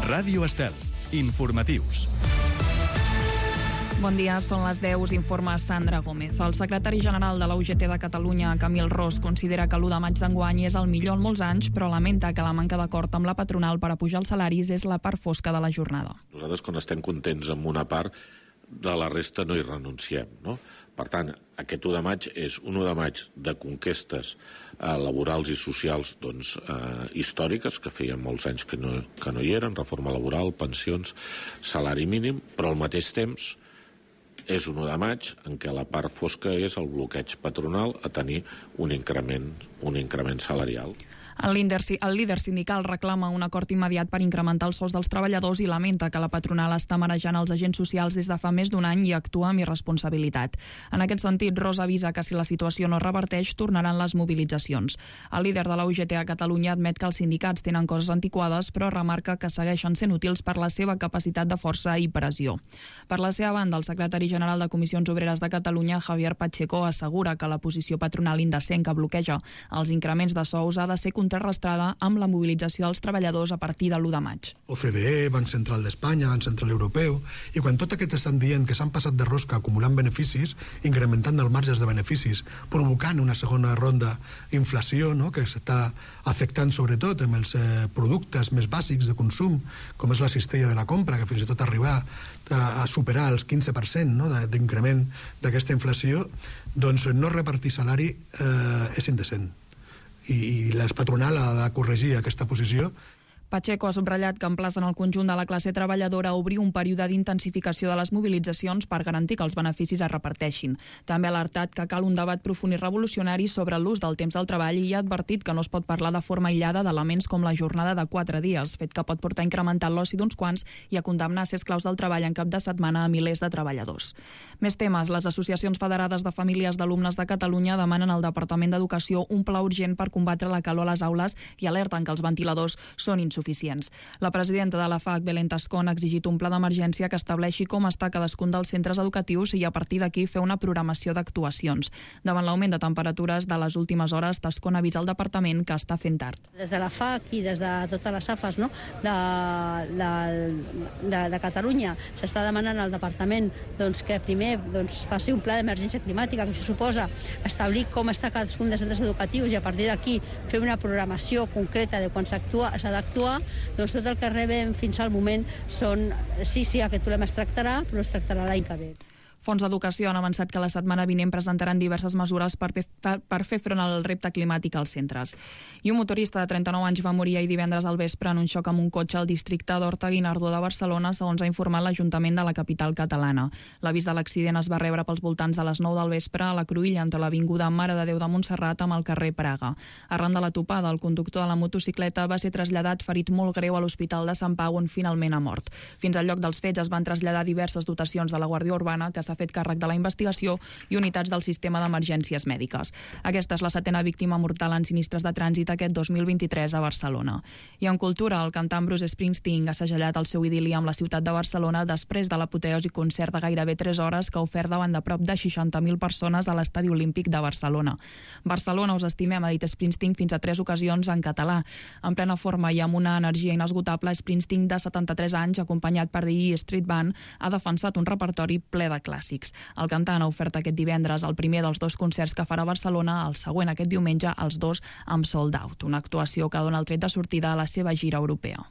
Ràdio Estel. Informatius. Bon dia, són les 10, us informa Sandra Gómez. El secretari general de la UGT de Catalunya, Camil Ros, considera que l'1 de maig d'enguany és el millor en molts anys, però lamenta que la manca d'acord amb la patronal per apujar els salaris és la part fosca de la jornada. Nosaltres, quan estem contents amb una part, de la resta no hi renunciem, no? Per tant, aquest 1 de maig és un 1 de maig de conquestes laborals i socials històriques, que feien molts anys que no hi eren, reforma laboral, pensions, salari mínim, però al mateix temps és un 1 de maig en què la part fosca és el bloqueig patronal a tenir un increment salarial. El líder sindical reclama un acord immediat per incrementar els sous dels treballadors i lamenta que la patronal està marejant els agents socials des de fa més d'un any i actua amb irresponsabilitat. En aquest sentit, Ros avisa que si la situació no es reverteix, tornaran les mobilitzacions. El líder de la UGT a Catalunya admet que els sindicats tenen coses antiquades, però remarca que segueixen sent útils per la seva capacitat de força i pressió. Per la seva banda, el secretari general de Comissions Obreres de Catalunya, Javier Pacheco, assegura que la posició patronal indecent que bloqueja els increments de sous ha de ser contrarrestada amb la mobilització dels treballadors a partir de l'1 de maig. OCDE, Banc Central d'Espanya, Banc Central Europeu, i quan tots aquests estan dient que s'han passat de rosca acumulant beneficis, incrementant els marges de beneficis, provocant una segona ronda d'inflació, no?, que s'està afectant sobretot amb els productes més bàsics de consum, com és la cistella de la compra, que fins i tot arribar a superar els 15%, no?, d'increment d'aquesta inflació, doncs no repartir salari és indecent. I la patronal ha de corregir aquesta posició. Pacheco ha subratllat que emplacen el conjunt de la classe treballadora a obrir un període d'intensificació de les mobilitzacions per garantir que els beneficis es reparteixin. També ha alertat que cal un debat profund i revolucionari sobre l'ús del temps del treball i ha advertit que no es pot parlar de forma aïllada d'elements com la jornada de 4 dies, fet que pot portar a incrementar l'oci d'uns quants i a condemnar a ser esclaus del treball en cap de setmana a milers de treballadors. Més temes. Les associacions federades de famílies d'alumnes de Catalunya demanen al Departament d'Educació un pla urgent per combatre la calor a les aules i alerten que els ventiladors són insuficients. La presidenta de la FAC, Belén Tascón, ha exigit un pla d'emergència que estableixi com està cadascun dels centres educatius i a partir d'aquí fer una programació d'actuacions. Davant l'augment de temperatures de les últimes hores, Tascón avisa al departament que està fent tard. Des de la FAC i des de totes les AFAs, no?, de Catalunya s'està demanant al departament que primer faci un pla d'emergència climàtica, que això suposa establir com està cadascun dels centres educatius i a partir d'aquí fer una programació concreta de quan s'ha d'actuar. Doncs tot el que rebem fins al moment són sí, aquest problema es tractarà, però es tractarà l'any que ve. Fons d'Educació han avançat que la setmana vinent presentaran diverses mesures per fer front al repte climàtic als centres. I un motorista de 39 anys va morir ahir divendres al vespre en un xoc amb un cotxe al districte d'Horta-Guinardó de Barcelona, segons ha informat l'Ajuntament de la capital catalana. L'avís de l'accident es va rebre pels voltants de les 9 del vespre a la cruïlla entre l'avinguda Mare de Déu de Montserrat amb el carrer Praga. Arran de la topada, el conductor de la motocicleta va ser traslladat ferit molt greu a l'Hospital de Sant Pau, on finalment ha mort. Fins al lloc dels fets es van traslladar diverses dotacions de la Guàrdia Urbana, que s'ha fet càrrec de la investigació, i unitats del sistema d'emergències mèdiques. Aquesta és la 7a víctima mortal en sinistres de trànsit aquest 2023 a Barcelona. I en cultura, el cantant Bruce Springsteen ha segellat el seu idil·li amb la ciutat de Barcelona després de l'apoteosi concert de gairebé 3 hores que ha ofert davant de prop de 60.000 persones a l'Estadi Olímpic de Barcelona. Barcelona us estimem, ha dit Springsteen fins a 3 ocasions en català. En plena forma i amb una energia inesgotable, Springsteen, de 73 anys, acompanyat per The E Street Band, ha defensat un repertori ple de clàssics. El cantant ha ofert aquest divendres el primer dels 2 concerts que farà a Barcelona, el següent aquest diumenge, els 2 amb sold out, una actuació que dona el tret de sortida a la seva gira europea.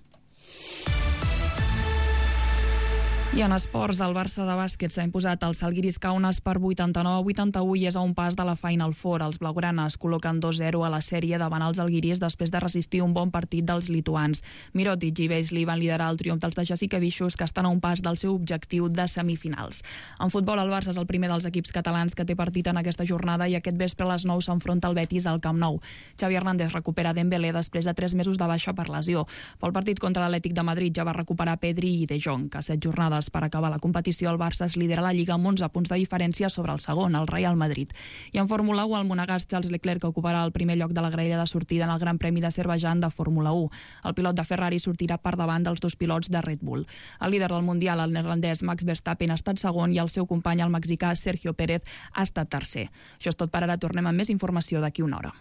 I en esports, el Barça de bàsquet s'ha imposat al Žalgiris Kaunas per 89-81 i és a un pas de la Final Four. Els blaugranes col·loquen 2-0 a la sèrie davant els Žalgiris després de resistir un bon partit dels lituans. Mirotic i Beasley van liderar el triomf dels de Jasikevičius, que estan a un pas del seu objectiu de semifinals. En futbol, el Barça és el primer dels equips catalans que té partit en aquesta jornada i aquest vespre a les 9 s'enfronta el Betis al Camp Nou. Xavi Hernández recupera Dembélé després de 3 mesos de baixa per lesió. Pel partit contra l'Atlètic de Madrid ja va recuperar Pedri i De Jong, que a 7 jornades per acabar la competició el Barça es lidera la Lliga amb 11 punts de diferència sobre el segon, el Real Madrid. I en Fórmula 1, el monegasc Charles Leclerc ocuparà el primer lloc de la graella de sortida en el Gran Premi d'Azerbaidjan de Fórmula 1. El pilot de Ferrari sortirà per davant dels 2 pilots de Red Bull. El líder del Mundial, el neerlandès Max Verstappen, ha estat segon i el seu company, el mexicà Sergio Pérez, ha estat tercer. Això és tot per ara, tornem amb més informació d'aquí una hora.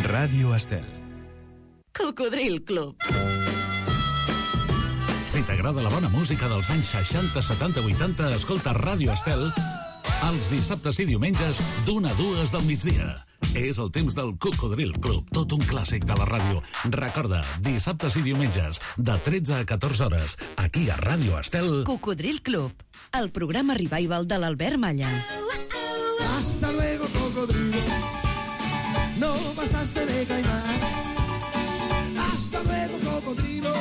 Ràdio Estel. Cocodril Club. Si t'agrada la bona música dels anys 60, 70, 80, escolta Ràdio Estel els dissabtes i diumenges d'1 a 2 del migdia. És el temps del Cocodril Club, tot un clàssic de la ràdio. Recorda, dissabtes i diumenges, de 13 a 14 hores, aquí a Ràdio Estel. Cocodril Club, el programa revival de l'Albert Malla. Hasta luego, cocodrilo. No pasaste de caimán. Hasta luego, cocodrilo.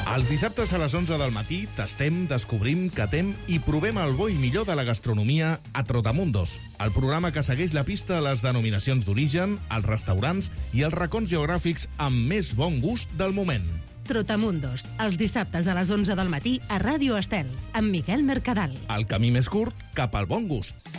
Els dissabtes a les 11 del matí tastem, descobrim, catem i provem el bo i millor de la gastronomia a Trotamundos, el programa que segueix la pista a les denominacions d'origen, els restaurants i els racons geogràfics amb més bon gust del moment. Trotamundos, els dissabtes a les 11 del matí a Ràdio Estel, amb Miquel Mercadal. El camí més curt cap al bon gust.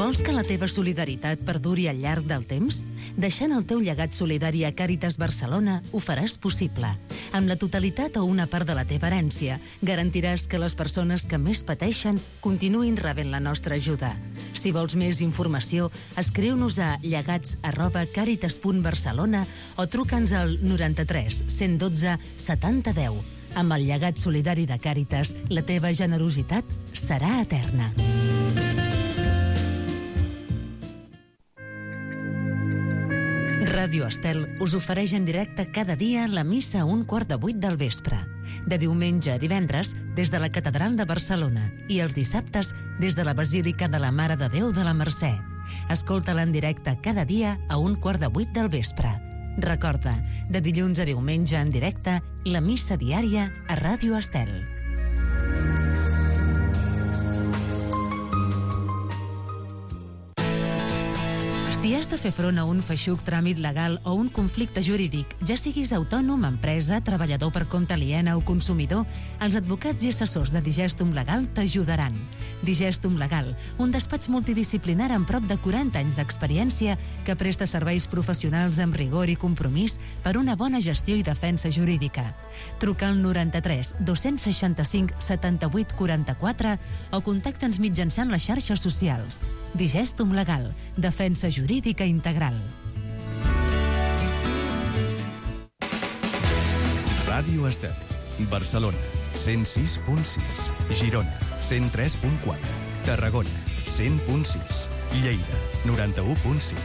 Vols que la teva solidaritat perduri al llarg del temps? Deixant el teu llegat solidari a Càritas Barcelona ho faràs possible. Amb la totalitat o una part de la teva herència, garantiràs que les persones que més pateixen continuïn rebent la nostra ajuda. Si vols més informació, escriu-nos a llegats@caritas.barcelona o truca'ns al 93 112 70 10. Amb el llegat solidari de Càritas, la teva generositat serà eterna. Ràdio Estel us ofereix en directe cada dia la missa a 7:15 del vespre. De diumenge a divendres, des de la Catedral de Barcelona i els dissabtes des de la Basílica de la Mare de Déu de la Mercè. Escolta-la en directe cada dia a 7:15 del vespre. Recorda, de dilluns a diumenge en directe, la missa diària a Ràdio Estel. Si has de fer front a un feixuc tràmit legal o un conflicte jurídic, ja siguis autònom, empresa, treballador per compte aliena o consumidor, els advocats i assessors de Digestum Legal t'ajudaran. Digestum Legal, un despatx multidisciplinar amb prop de 40 anys d'experiència que presta serveis professionals amb rigor i compromís per una bona gestió i defensa jurídica. Truca al 93 265 78 44 o contacta'ns mitjançant les xarxes socials. Digestum Legal, defensa jurídica integral. Ràdio Estel, Barcelona, 106.6, Girona, 103.4, Tarragona, 100.6, Lleida, 91.5,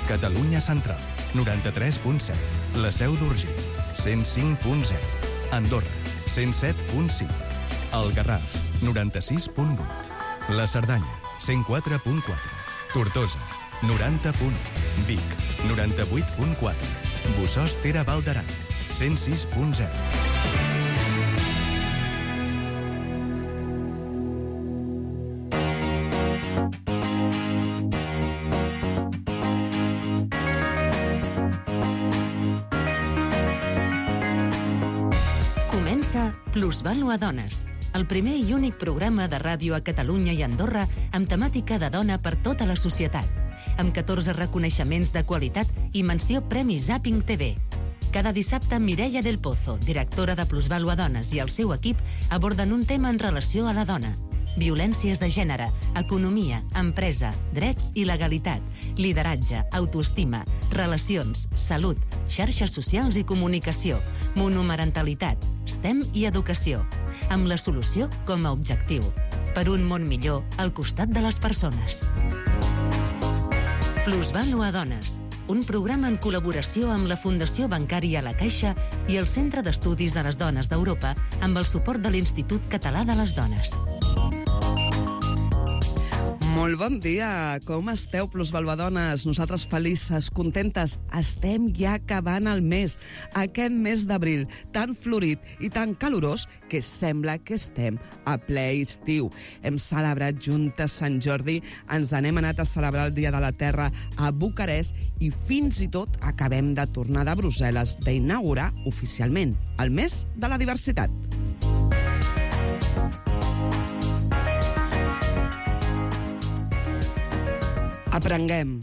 Catalunya Central, 93.7, la Seu d'Urgell, 105.0, Andorra, 107.5, el Garraf, 96.8, la Cerdanya, 104.4, Tortosa, 90.1, Vic, 98.4, Bossòst-Tere Val d'Aran, 106.0. Comença Plusvàlua Dones, el primer i únic programa de ràdio a Catalunya i Andorra amb temàtica de dona per tota la societat, amb 14 reconeixements de qualitat i menció Premi Zapping TV. Cada dissabte, Mireia del Pozo, directora de Plusvàlua Dones, i el seu equip aborden un tema en relació a la dona. Violències de gènere, economia, empresa, drets i legalitat, lideratge, autoestima, relacions, salut, xarxes socials i comunicació, monomarentalitat, STEM i educació, amb la solució com a objectiu, per un món millor al costat de les persones. Plusvàlua Dones, un programa en col·laboració amb la Fundació Bancària La Caixa i el Centre d'Estudis de les Dones d'Europa amb el suport de l'Institut Català de les Dones. Molt bon dia, com esteu, plusvaluadones? Nosaltres felices, contentes, estem ja acabant el mes, aquest mes d'abril, tan florit i tan calorós que sembla que estem a ple estiu. Hem celebrat juntes Sant Jordi, ens n'hem anat a celebrar el Dia de la Terra a Bucarest i fins i tot acabem de tornar de Brussel·les d'inaugurar oficialment el mes de la diversitat. Aprenguem,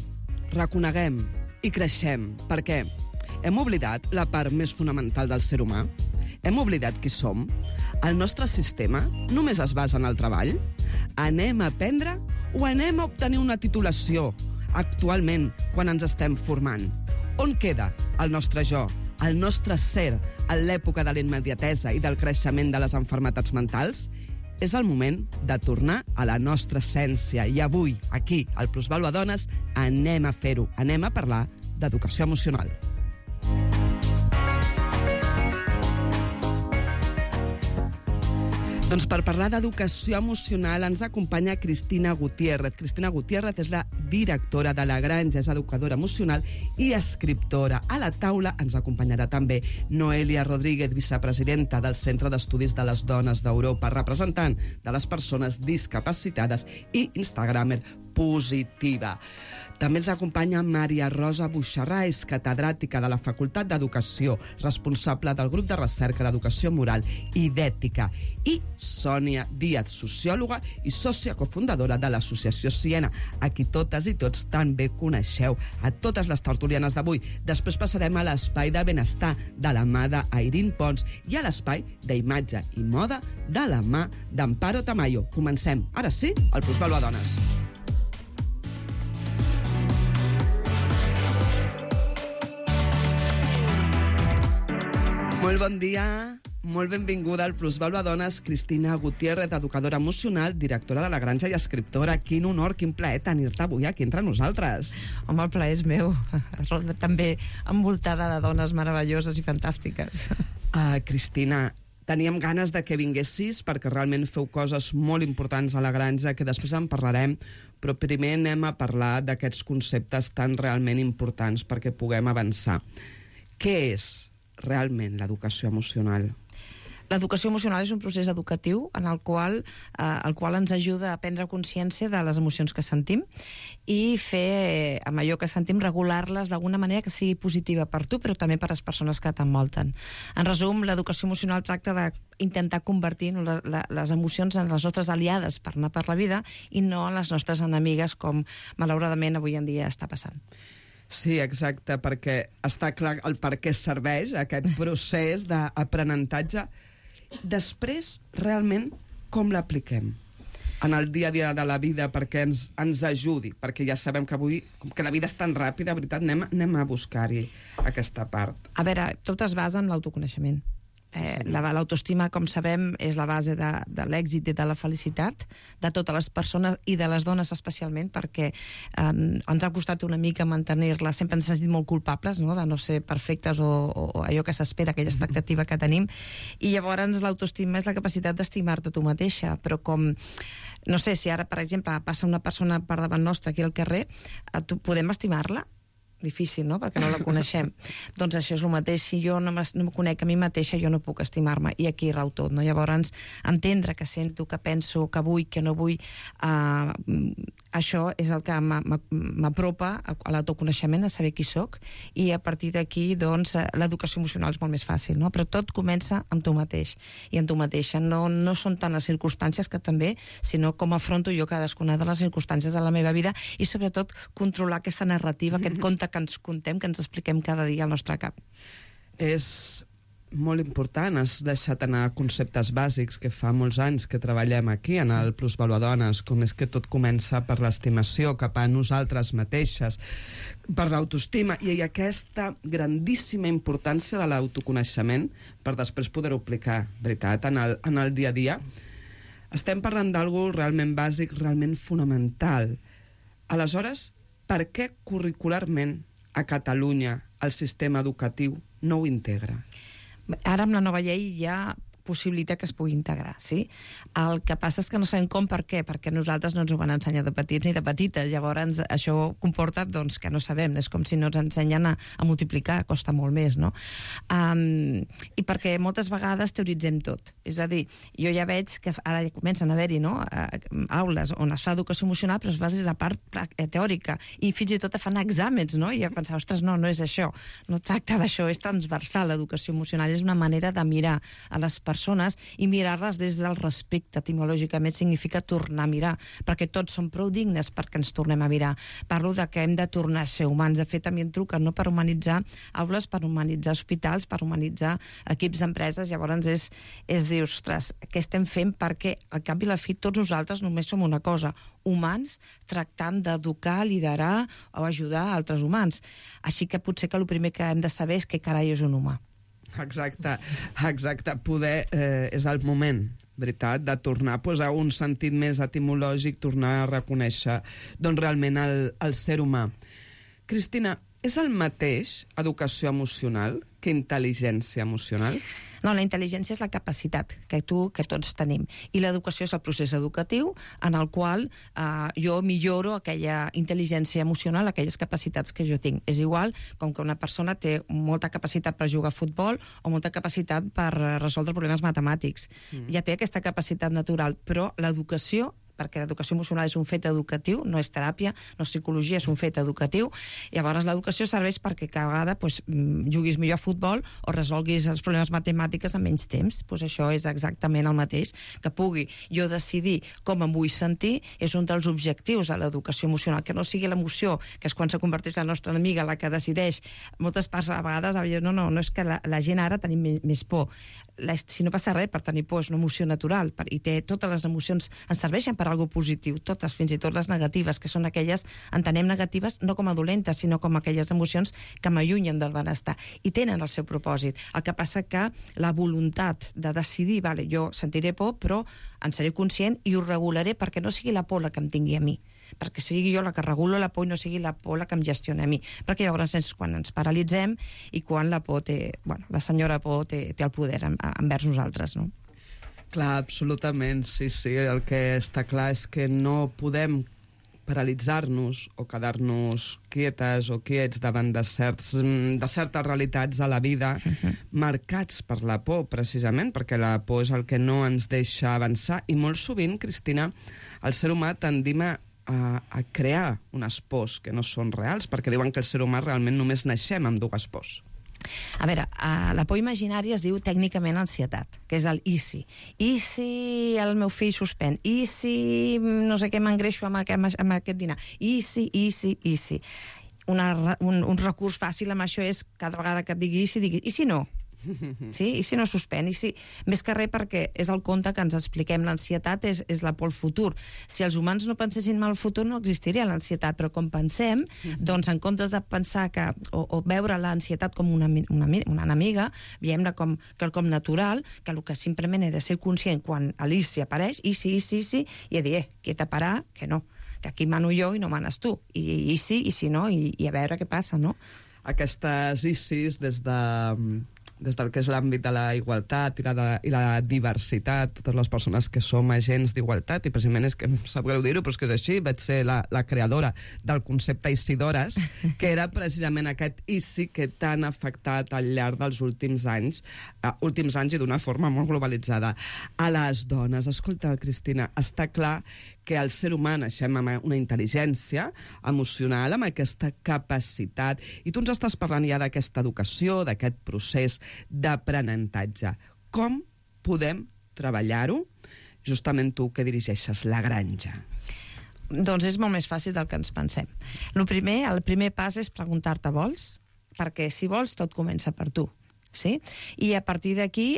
reconeguem i creixem, perquè hem oblidat la part més fonamental del ser humà? Hem oblidat qui som? El nostre sistema només es basa en el treball? Anem a aprendre o anem a obtenir una titulació actualment quan ens estem formant? On queda el nostre jo, el nostre ser, en l'època de la immediatesa i del creixement de les malalties mentals? És el moment de tornar a la nostra essència. I avui, aquí, al Plusvàlua Dones, anem a fer-ho. Anem a parlar d'educació emocional. Doncs per parlar d'educació emocional ens acompanya Cristina Gutiérrez. Cristina Gutiérrez és la directora de La Granja, és educadora emocional i escriptora. A la taula ens acompanyarà també Noelia Rodríguez, vicepresidenta del Centre d'Estudis de les Dones d'Europa, representant de les persones discapacitades i instagramer positiva. També ens acompanya Maria Rosa Buixarrais, catedràtica de la Facultat d'Educació, responsable del grup de recerca d'Educació Moral i d'Ètica, i Sònia Díaz, sociòloga i sòcia cofundadora de l'Associació Siena, a qui totes i tots tan bé coneixeu, a totes les tertulianes d'avui. Després passarem a l'espai de benestar de la mà d'Airín Pons i a l'espai d'imatge i moda de la mà d'Amparo Tamayo. Comencem, ara sí, al Plusvàlua Dones. Molt bon dia, molt benvinguda al Plusvàlua Dones, Cristina Gutiérrez, educadora emocional, directora de La Granja i escriptora. Quin honor, quin plaer tenir-te avui aquí entre nosaltres. Home, el plaer és meu. També envoltada de dones meravelloses i fantàstiques. Cristina, teníem ganes de que vinguessis perquè realment feu coses molt importants a La Granja, que després en parlarem, però primer anem a parlar d'aquests conceptes tan realment importants perquè puguem avançar. Què és realment l'educació emocional? L'educació emocional és un procés educatiu en el qual ens ajuda a prendre consciència de les emocions que sentim i fer, amb allò que sentim, regular-les d'alguna manera que sigui positiva per tu, però també per les persones que t'envolten. En resum, l'educació emocional tracta d'intentar convertir les emocions en les nostres aliades per anar per la vida i no en les nostres enemigues, com malauradament avui en dia està passant. Sí, exacte, perquè està clar el per què serveix aquest procés d'aprenentatge. Després, realment, com l'apliquem en el dia a dia de la vida perquè ens ajudi? Perquè ja sabem que avui, com que la vida és tan ràpida, de veritat, anem a buscar-hi aquesta part. A veure, tot es basa en l'autoconeixement. L'autoestima, com sabem, és la base de l'èxit i de la felicitat de totes les persones i de les dones especialment, perquè ens ha costat una mica mantenir-la. Sempre ens hem sentit molt culpables, no?, de no ser perfectes o allò que s'espera, aquella expectativa que tenim. I llavors l'autoestima és la capacitat d'estimar-te tu mateixa, però com... No sé, si ara, per exemple, passa una persona per davant nostre aquí al carrer, podem estimar-la? Difícil, no?, perquè no la coneixem. Doncs això és el mateix. Si jo no em conec a mi mateixa, jo no puc estimar-me. I aquí rau tot, no? Llavors, entendre que sento, que penso, que vull, que no vull, això és el que m'apropa a l'autoconeixement, a saber qui soc, i a partir d'aquí, doncs, l'educació emocional és molt més fàcil, no? Però tot comença amb tu mateix i amb tu mateixa. No són tant les circumstàncies, que també, sinó com afronto jo cadascuna de les circumstàncies de la meva vida i, sobretot, controlar aquesta narrativa, aquest conte que ens contem, que ens expliquem cada dia al nostre cap. És molt important. Has deixat anar conceptes bàsics que fa molts anys que treballem aquí en el Plusvàlua Dones, com és que tot comença per l'estimació cap a nosaltres mateixes, per l'autoestima i aquesta grandíssima importància de l'autoconeixement per després poder-ho aplicar, veritat, en el dia a dia. Estem parlant d'algú realment bàsic, realment fonamental. Aleshores, per què curricularment a Catalunya el sistema educatiu no ho integra? Ara amb la nova llei ja possibilita que es pugui integrar, sí? El que passa és que no sabem com, per què, perquè nosaltres no ens ho van ensenyar de petits ni de petites, llavors això comporta doncs, que no sabem, és com si no ens ensenyen a multiplicar, costa molt més, no? I perquè moltes vegades teoritzem tot, és a dir, jo ja veig que ara ja comencen a haver-hi, no?, aules on es fa educació emocional, però es fa des de part teòrica, i fins i tot fan exàmens, no?, i jo pensava, ostres, no és això, no tracta d'això, és transversal l'educació emocional, és una manera de mirar a les persones persones i mirar-les des del respecte. Etimològicament significa tornar a mirar, perquè tots som prou dignes perquè ens tornem a mirar. Parlo de que hem de tornar a ser humans. De fet, a mi em truquen no per humanitzar aules, per humanitzar hospitals, per humanitzar equips d'empreses. Llavors és dir, ostres, què estem fent? Perquè al cap i a la fi tots nosaltres només som una cosa, humans tractant d'educar, liderar o ajudar altres humans. Així que potser que el primer que hem de saber és què carai és un humà. Exacte. Poder és el moment, veritat, de tornar a posar un sentit més etimològic, tornar a reconèixer doncs, realment el ser humà. Cristina, és el mateix educació emocional que intel·ligència emocional? No, la intel·ligència és la capacitat que tots tenim. I l'educació és el procés educatiu en el qual jo milloro aquella intel·ligència emocional, aquelles capacitats que jo tinc. És igual com que una persona té molta capacitat per jugar a futbol o molta capacitat per resoldre problemes matemàtics. Ja té aquesta capacitat natural, però l'educació, perquè l'educació emocional és un fet educatiu, no és teràpia, no és psicologia, és un fet educatiu. Llavors l'educació serveix perquè cada vegada juguis millor a futbol o resolguis els problemes matemàtics en menys temps. Això és exactament el mateix. Que pugui jo decidir com em vull sentir és un dels objectius de l'educació emocional, que no sigui l'emoció, que és quan se converteix la nostra amiga la que decideix. Moltes parts a vegades no és que la gent ara tenim més por. Si no passa res, per tenir por és una emoció natural i totes les emocions ens serveixen per alguna cosa positiu, totes, fins i tot les negatives, que són aquelles, entenem negatives no com a dolentes, sinó com aquelles emocions que m'allunyen del benestar, i tenen el seu propòsit. El que passa que la voluntat de decidir, vale, jo sentiré por, però en seré conscient i ho regularé perquè no sigui la por la que em tingui a mi, perquè sigui jo la que regulo la por i no sigui la por la que em gestiona a mi, perquè llavors és quan ens paralitzem i quan la por la senyora por té el poder envers nosaltres, no? Clar, absolutament, sí. El que està clar és que no podem paralitzar-nos o quedar-nos quietes o quiets davant de certes realitats a la vida marcats per la por, precisament, perquè la por és el que no ens deixa avançar. I molt sovint, Cristina, el ser humà tendim a crear unes pors que no són reals, perquè diuen que el ser humà realment només naixem amb dues pors. A veure, la por imaginària es diu tècnicament ansietat, que és el i si. I si el meu fill suspèn? I si no sé què m'engreixo amb aquest dinar? I si. Un recurs fàcil amb això és cada vegada que et digui i si no? Sí? I si no suspèn? Més que res perquè és el conte que ens expliquem. L'ansietat és la por al futur. Si els humans no pensessin mal al futur no existiria l'ansietat, però com pensem, doncs en comptes de pensar o veure l'ansietat com una enemiga, veiem-la com quelcom natural, que el que simplement he de ser conscient quan Alicia apareix, i sí, i he de dir, quieta, parar, que no, que aquí mano jo i no manes tu, i si no, i a veure què passa, no? Aquestes ICIs des del que és l'àmbit de la igualtat i la diversitat, totes les persones que som agents d'igualtat, i precisament és que em sap greu dir-ho, però és que és així, vaig ser la creadora del concepte Isidores, que era precisament aquest ICI que tan ha afectat al llarg dels últims anys i d'una forma molt globalitzada. A les dones, escolta, Cristina, està clar que el ser humà naixem amb una intel·ligència emocional, amb aquesta capacitat, i tu ens estàs parlant ja d'aquesta educació, d'aquest procés d'aprenentatge. Com podem treballar-ho? Justament tu que dirigeixes la granja. Doncs és molt més fàcil del que ens pensem. El primer pas és preguntar-te vols, perquè si vols tot comença per tu, sí? I a partir d'aquí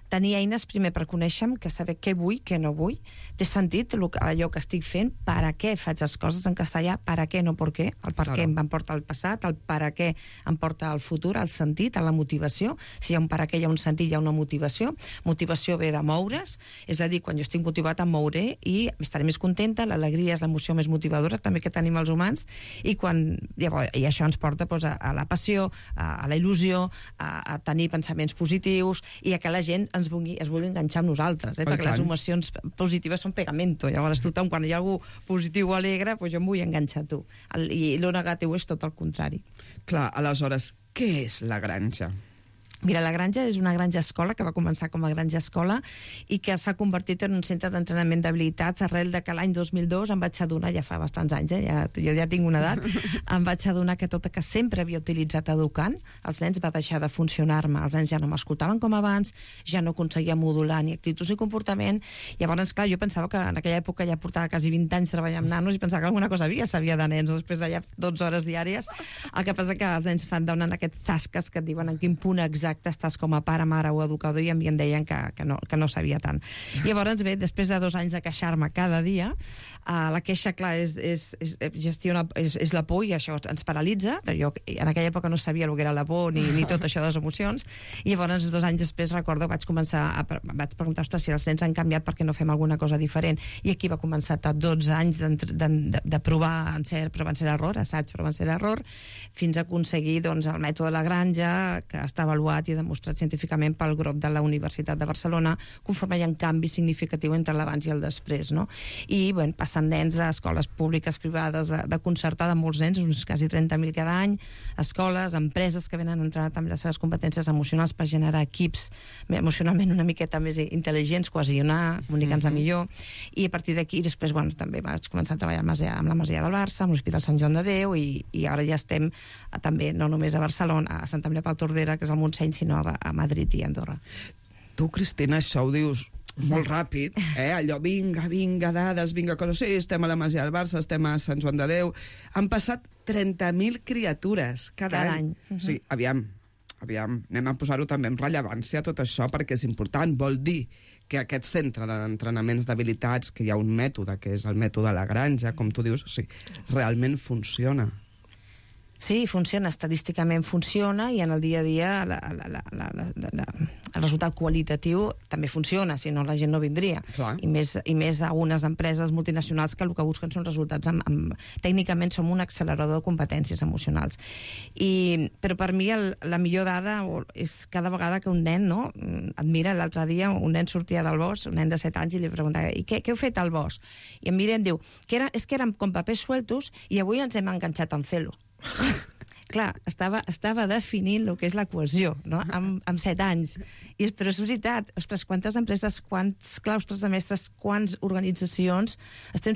tenir eines primer per conèixer-me, que saber què vull, què no vull, té sentit allò que estic fent, per a què faig les coses en castellà, per a què, no per què, el per què em porta al passat, el per a què em porta al futur, el sentit, la motivació. Si hi ha un per a què, hi ha un sentit, hi ha una motivació. Motivació ve de moure's, és a dir, quan jo estic motivat em mouré i estaré més contenta, l'alegria és l'emoció més motivadora també que tenim els humans, i això ens porta a la passió, a la il·lusió, a tenir pensaments positius i a que la gent es vulgui enganxar amb nosaltres, perquè les emocions positives són pegamento. Llavors tothom, quan hi ha algú positiu o alegre, jo em vull enganxar a tu. I lo negatiu és tot el contrari. Clar, aleshores, què és la granja? Mira, la granja és una granja escola que va començar com a granja escola i que s'ha convertit en un centre d'entrenament d'habilitats arrel de que l'any 2002 em vaig adonar, ja fa bastants anys, jo ja tinc una edat, em vaig adonar que tot el que sempre havia utilitzat educant, els nens va deixar de funcionar-me, els nens ja no m'escoltaven com abans, ja no aconseguia modular ni actituds ni comportament. Llavors, clar, jo pensava que en aquella època ja portava quasi 20 anys treballant amb nanos i pensava que alguna cosa sabia de nens, després d'allà 12 hores diàries. El que passa que els nens fan donen aquests tasques que et diuen en quin punt exacte estàs com a pare, mare o educador, i a mi em deien que no sabia tant. Llavors, bé, després de 2 anys de queixar-me cada dia, la queixa, clar, és la por i això ens paralitza. Jo en aquella època no sabia el que era la por ni tot això de les emocions, i llavors 2 anys després recordo vaig preguntar, ostres, si els nens han canviat, per què no fem alguna cosa diferent? I aquí va començar 12 anys de provar encert, però van ser error, assaig, però van ser error, fins a aconseguir el mètode de la granja, que està avaluat i demostrat científicament pel grup de la Universitat de Barcelona, conforme hi ha un canvi significatiu entre l'abans i el després, no? I, bueno, passen nens d'escoles públiques, privades, de concertada, molts nens, uns quasi 30.000 cada any, escoles, empreses que venen a entrenar també les seves competències emocionals per generar equips emocionalment una miqueta més intel·ligents, cohesionar, comunicar-nos millor, i a partir d'aquí, després, bueno, també vaig començar a treballar amb la Masia del Barça, amb l'Hospital Sant Joan de Déu, i ara ja estem també, no només a Barcelona, a Santa Maria Pau Tordera, que és el Montseny, sinó a Madrid i a Andorra. Tu, Cristina, això ho dius molt ràpid, allò, vinga, dades, vinga, coses, sí, estem a la Masia del Barça, estem a Sant Joan de Déu. Han passat 30.000 criatures cada any. Sí, aviam, anem a posar-ho també en rellevància, tot això, perquè és important. Vol dir que aquest centre d'entrenaments d'habilitats, que hi ha un mètode, que és el mètode de la granja, com tu dius, sí, realment funciona. Sí, funciona, estadísticament funciona, i en el dia a dia el resultat qualitatiu també funciona, si no la gent no vindria. I més a unes empreses multinacionals que el que busquen són resultats. Tècnicament som un accelerador de competències emocionals. Però per mi la millor dada és cada vegada que un nen, no? Et mira, l'altre dia un nen sortia del bosc, un nen de 7 anys, i li preguntava, i què heu fet al bosc? I em mira i em diu, és que érem com papers sueltos i avui ens hem enganxat en celo. Clar, estava definint el que és la cohesió, no? Amb 7 anys. Però és veritat, ostres, quantes empreses, quants claustres de mestres, quants organitzacions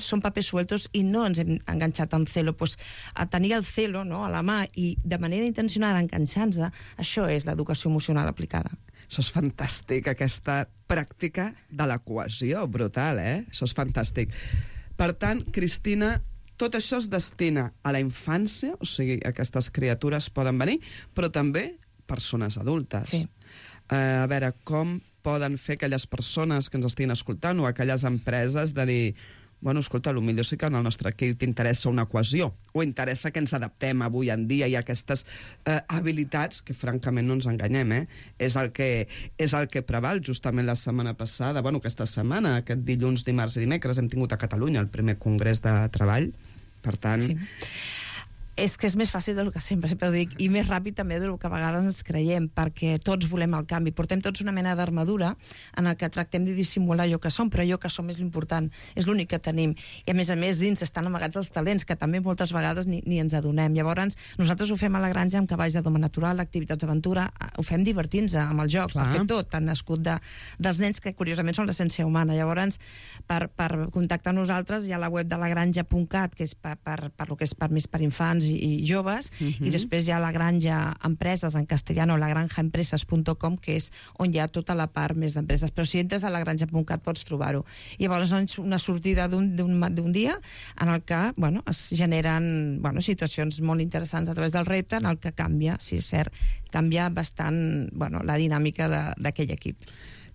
són papers sueltos i no ens hem enganxat en celo. Pues, a tenir el celo, no?, a la mà i de manera intencionada enganxant-se, això és l'educació emocional aplicada. Això és fantàstic, aquesta pràctica de la cohesió, brutal, Això és fantàstic. Per tant, Cristina, tot això es destina a la infància, o sigui, aquestes criatures poden venir, però també persones adultes. Sí. A veure, com poden fer aquelles persones que ens estiguin escoltant o aquelles empreses de dir, bueno, escolta, potser sí que en el nostre equip t'interessa una cohesió, o interessa que ens adaptem avui en dia i aquestes habilitats, que francament no ens enganyem, és el que preval. Justament la setmana passada, bueno, aquesta setmana, aquest dilluns, dimarts i dimecres, hem tingut a Catalunya el primer congrés de treball. Per tant... Sí. És que és més fàcil del que sempre ho dic, i més ràpid també del que a vegades ens creiem, perquè tots volem el canvi. Portem tots una mena d'armadura en el que tractem de dissimular allò que som, però allò que som és l'important, és l'únic que tenim. I a més, dins estan amagats els talents, que també moltes vegades ni ens adonem. Llavors, nosaltres ho fem a la granja amb cavalls de doma natural, activitats d'aventura, ho fem divertint-nos amb el joc, perquè tot ha nascut dels nens, que curiosament són l'essència humana. Llavors, per contactar amb nosaltres, hi ha la web de lagranja.cat, que és per més per infants i joves, i després hi ha la granja empreses en castellano, lagranjaempresas.com, que és on hi ha tota la part més d'empreses. Però si entres a lagranja.cat pots trobar-ho. I llavors és una sortida d'un dia en el que es generen situacions molt interessants a través del repte, en el que canvia, si és cert, canvia bastant la dinàmica d'aquell equip.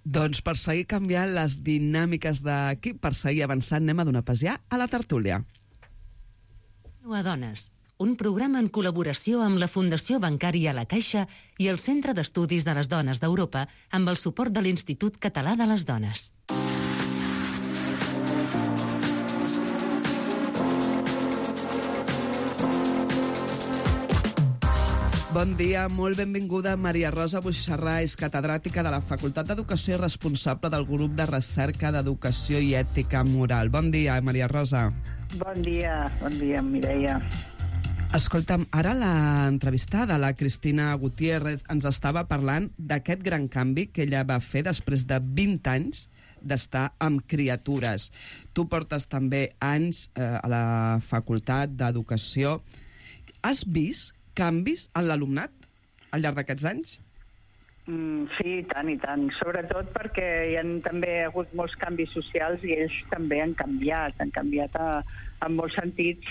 Doncs per seguir canviant les dinàmiques d'equip, per seguir avançant, anem a donar pas ja a la tertúlia. A Dones, un programa en col·laboració amb la Fundació Bancària La Caixa i el Centre d'Estudis de les Dones d'Europa amb el suport de l'Institut Català de les Dones. Bon dia, molt benvinguda Maria Rosa Buixarrà, és catedràtica de la Facultat d'Educació i responsable del grup de recerca d'Educació i Ètica Moral. Bon dia, Maria Rosa. Bon dia, Mireia. Escolta'm, ara l'entrevistada, la Cristina Gutiérrez, ens estava parlant d'aquest gran canvi que ella va fer després de 20 anys d'estar amb criatures. Tu portes també anys a la Facultat d'Educació. Has vist canvis en l'alumnat al llarg d'aquests anys? Sí, i tant. Sobretot perquè hi ha també hagut molts canvis socials i ells també han canviat en molts sentits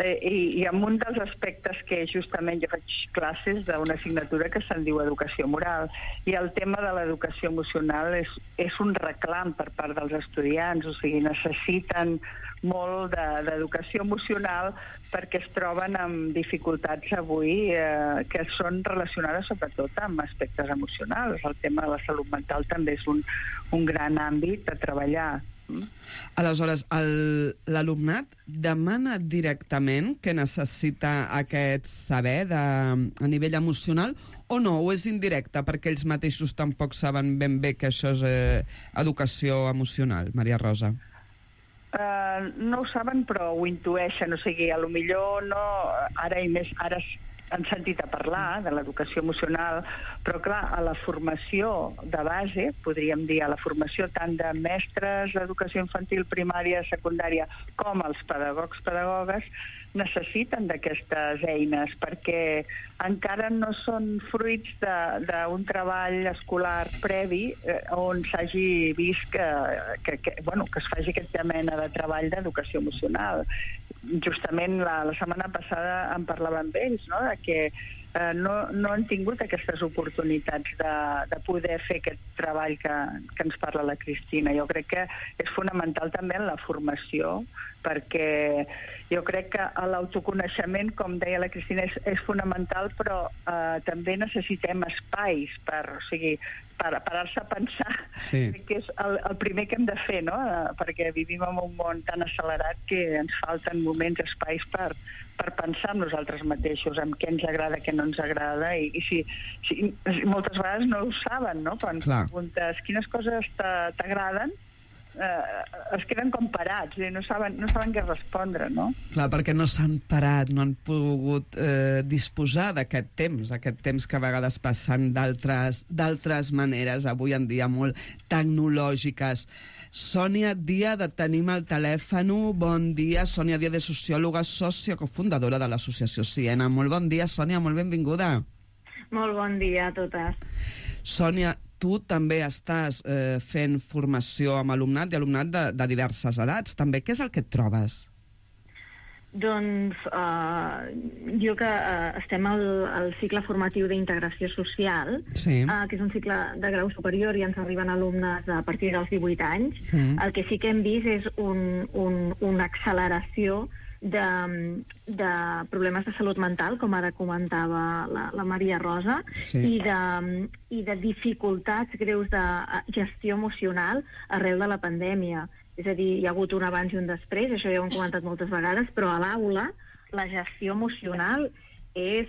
i en un dels aspectes que justament jo faig classes d'una assignatura que se'n diu Educació Moral, i el tema de l'educació emocional és un reclam per part dels estudiants, o sigui, necessiten molt d'educació emocional perquè es troben amb dificultats avui que són relacionades sobretot amb aspectes emocionals. El tema de la salut mental també és un gran àmbit a treballar. Aleshores, l'alumnat demana directament que necessita aquest saber a nivell emocional o no? O és indirecte perquè ells mateixos tampoc saben ben bé que això és educació emocional, Maria Rosa? No ho saben, però ho intueixen. O sigui, a lo millor no... Ara han sentit a parlar de l'educació emocional, però clar, a la formació de base, podríem dir, a la formació tant de mestres d'educació infantil, primària, secundària, com els pedagogues, necessiten d'aquestes eines perquè encara no són fruits d'un treball escolar previ on s'hagi vist que es faci aquesta mena de treball d'educació emocional. Justament la setmana passada en parlava amb ells, no?, de que no han tingut aquestes oportunitats de poder fer aquest treball que ens parla la Cristina. Jo crec que és fonamental també en la formació, perquè jo crec que l'autoconeixement, com deia la Cristina, és fonamental, però també necessitem espais per parar-se a pensar, que és el primer que hem de fer, no?, perquè vivim en un món tan accelerat que ens falten moments, espais per pensar en nosaltres mateixos, en què ens agrada, què no ens agrada, i si moltes vegades no ho saben, no?, quan preguntes quines coses t'agraden, es queden com parats i no saben què respondre, no? Clar, perquè no s'han parat, no han pogut disposar d'aquest temps que a vegades passen d'altres maneres, avui en dia molt tecnològiques. Sònia Díaz, de Tenim al telèfon. Bon dia. Sònia Díaz, de sociòloga, sòcia cofundadora de l'associació Siena. Molt bon dia, Sònia, molt benvinguda. Molt bon dia a totes. Sònia, tu també estàs fent formació amb alumnat i alumnat de diverses edats, també. Què és el que et trobes? Doncs jo que estem al cicle formatiu d'integració social, que és un cicle de grau superior i ens arriben alumnes a partir dels 18 anys. El que sí que hem vist és una acceleració de problemes de salut mental, com ara comentava la Maria Rosa, i de dificultats greus de gestió emocional arrel de la pandèmia. És a dir, hi ha hagut un abans i un després, això ja ho hem comentat moltes vegades, però a l'aula la gestió emocional és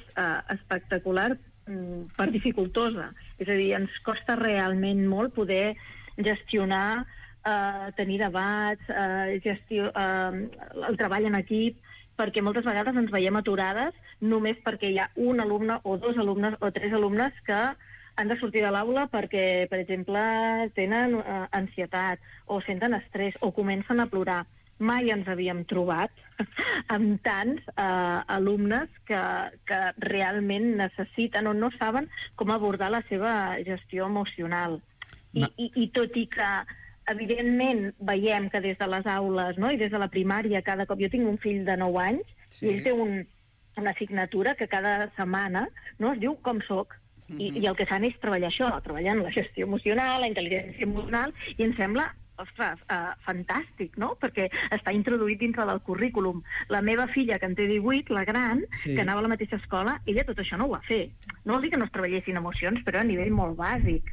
espectacular per dificultosa. És a dir, ens costa realment molt poder gestionar, tenir debats, el treball en equip, perquè moltes vegades ens veiem aturades només perquè hi ha un alumne o dos alumnes o tres alumnes que han de sortir de l'aula perquè, per exemple, tenen ansietat o senten estrès o comencen a plorar. Mai ens havíem trobat amb tants alumnes que realment necessiten o no saben com abordar la seva gestió emocional. I tot i que, evidentment, veiem que des de les aules, no?, i des de la primària, cada cop... Jo tinc un fill de 9 anys i ell té una assignatura que cada setmana, no?, es diu Com soc. I el que fan és treballar això, treballant la gestió emocional, la intel·ligència emocional, i em sembla, ostres, fantàstic, no?, perquè està introduït dintre del currículum. La meva filla, que en té 18, la gran, que anava a la mateixa escola, ella tot això no ho va fer. No vol dir que no es treballessin emocions, però a nivell molt bàsic,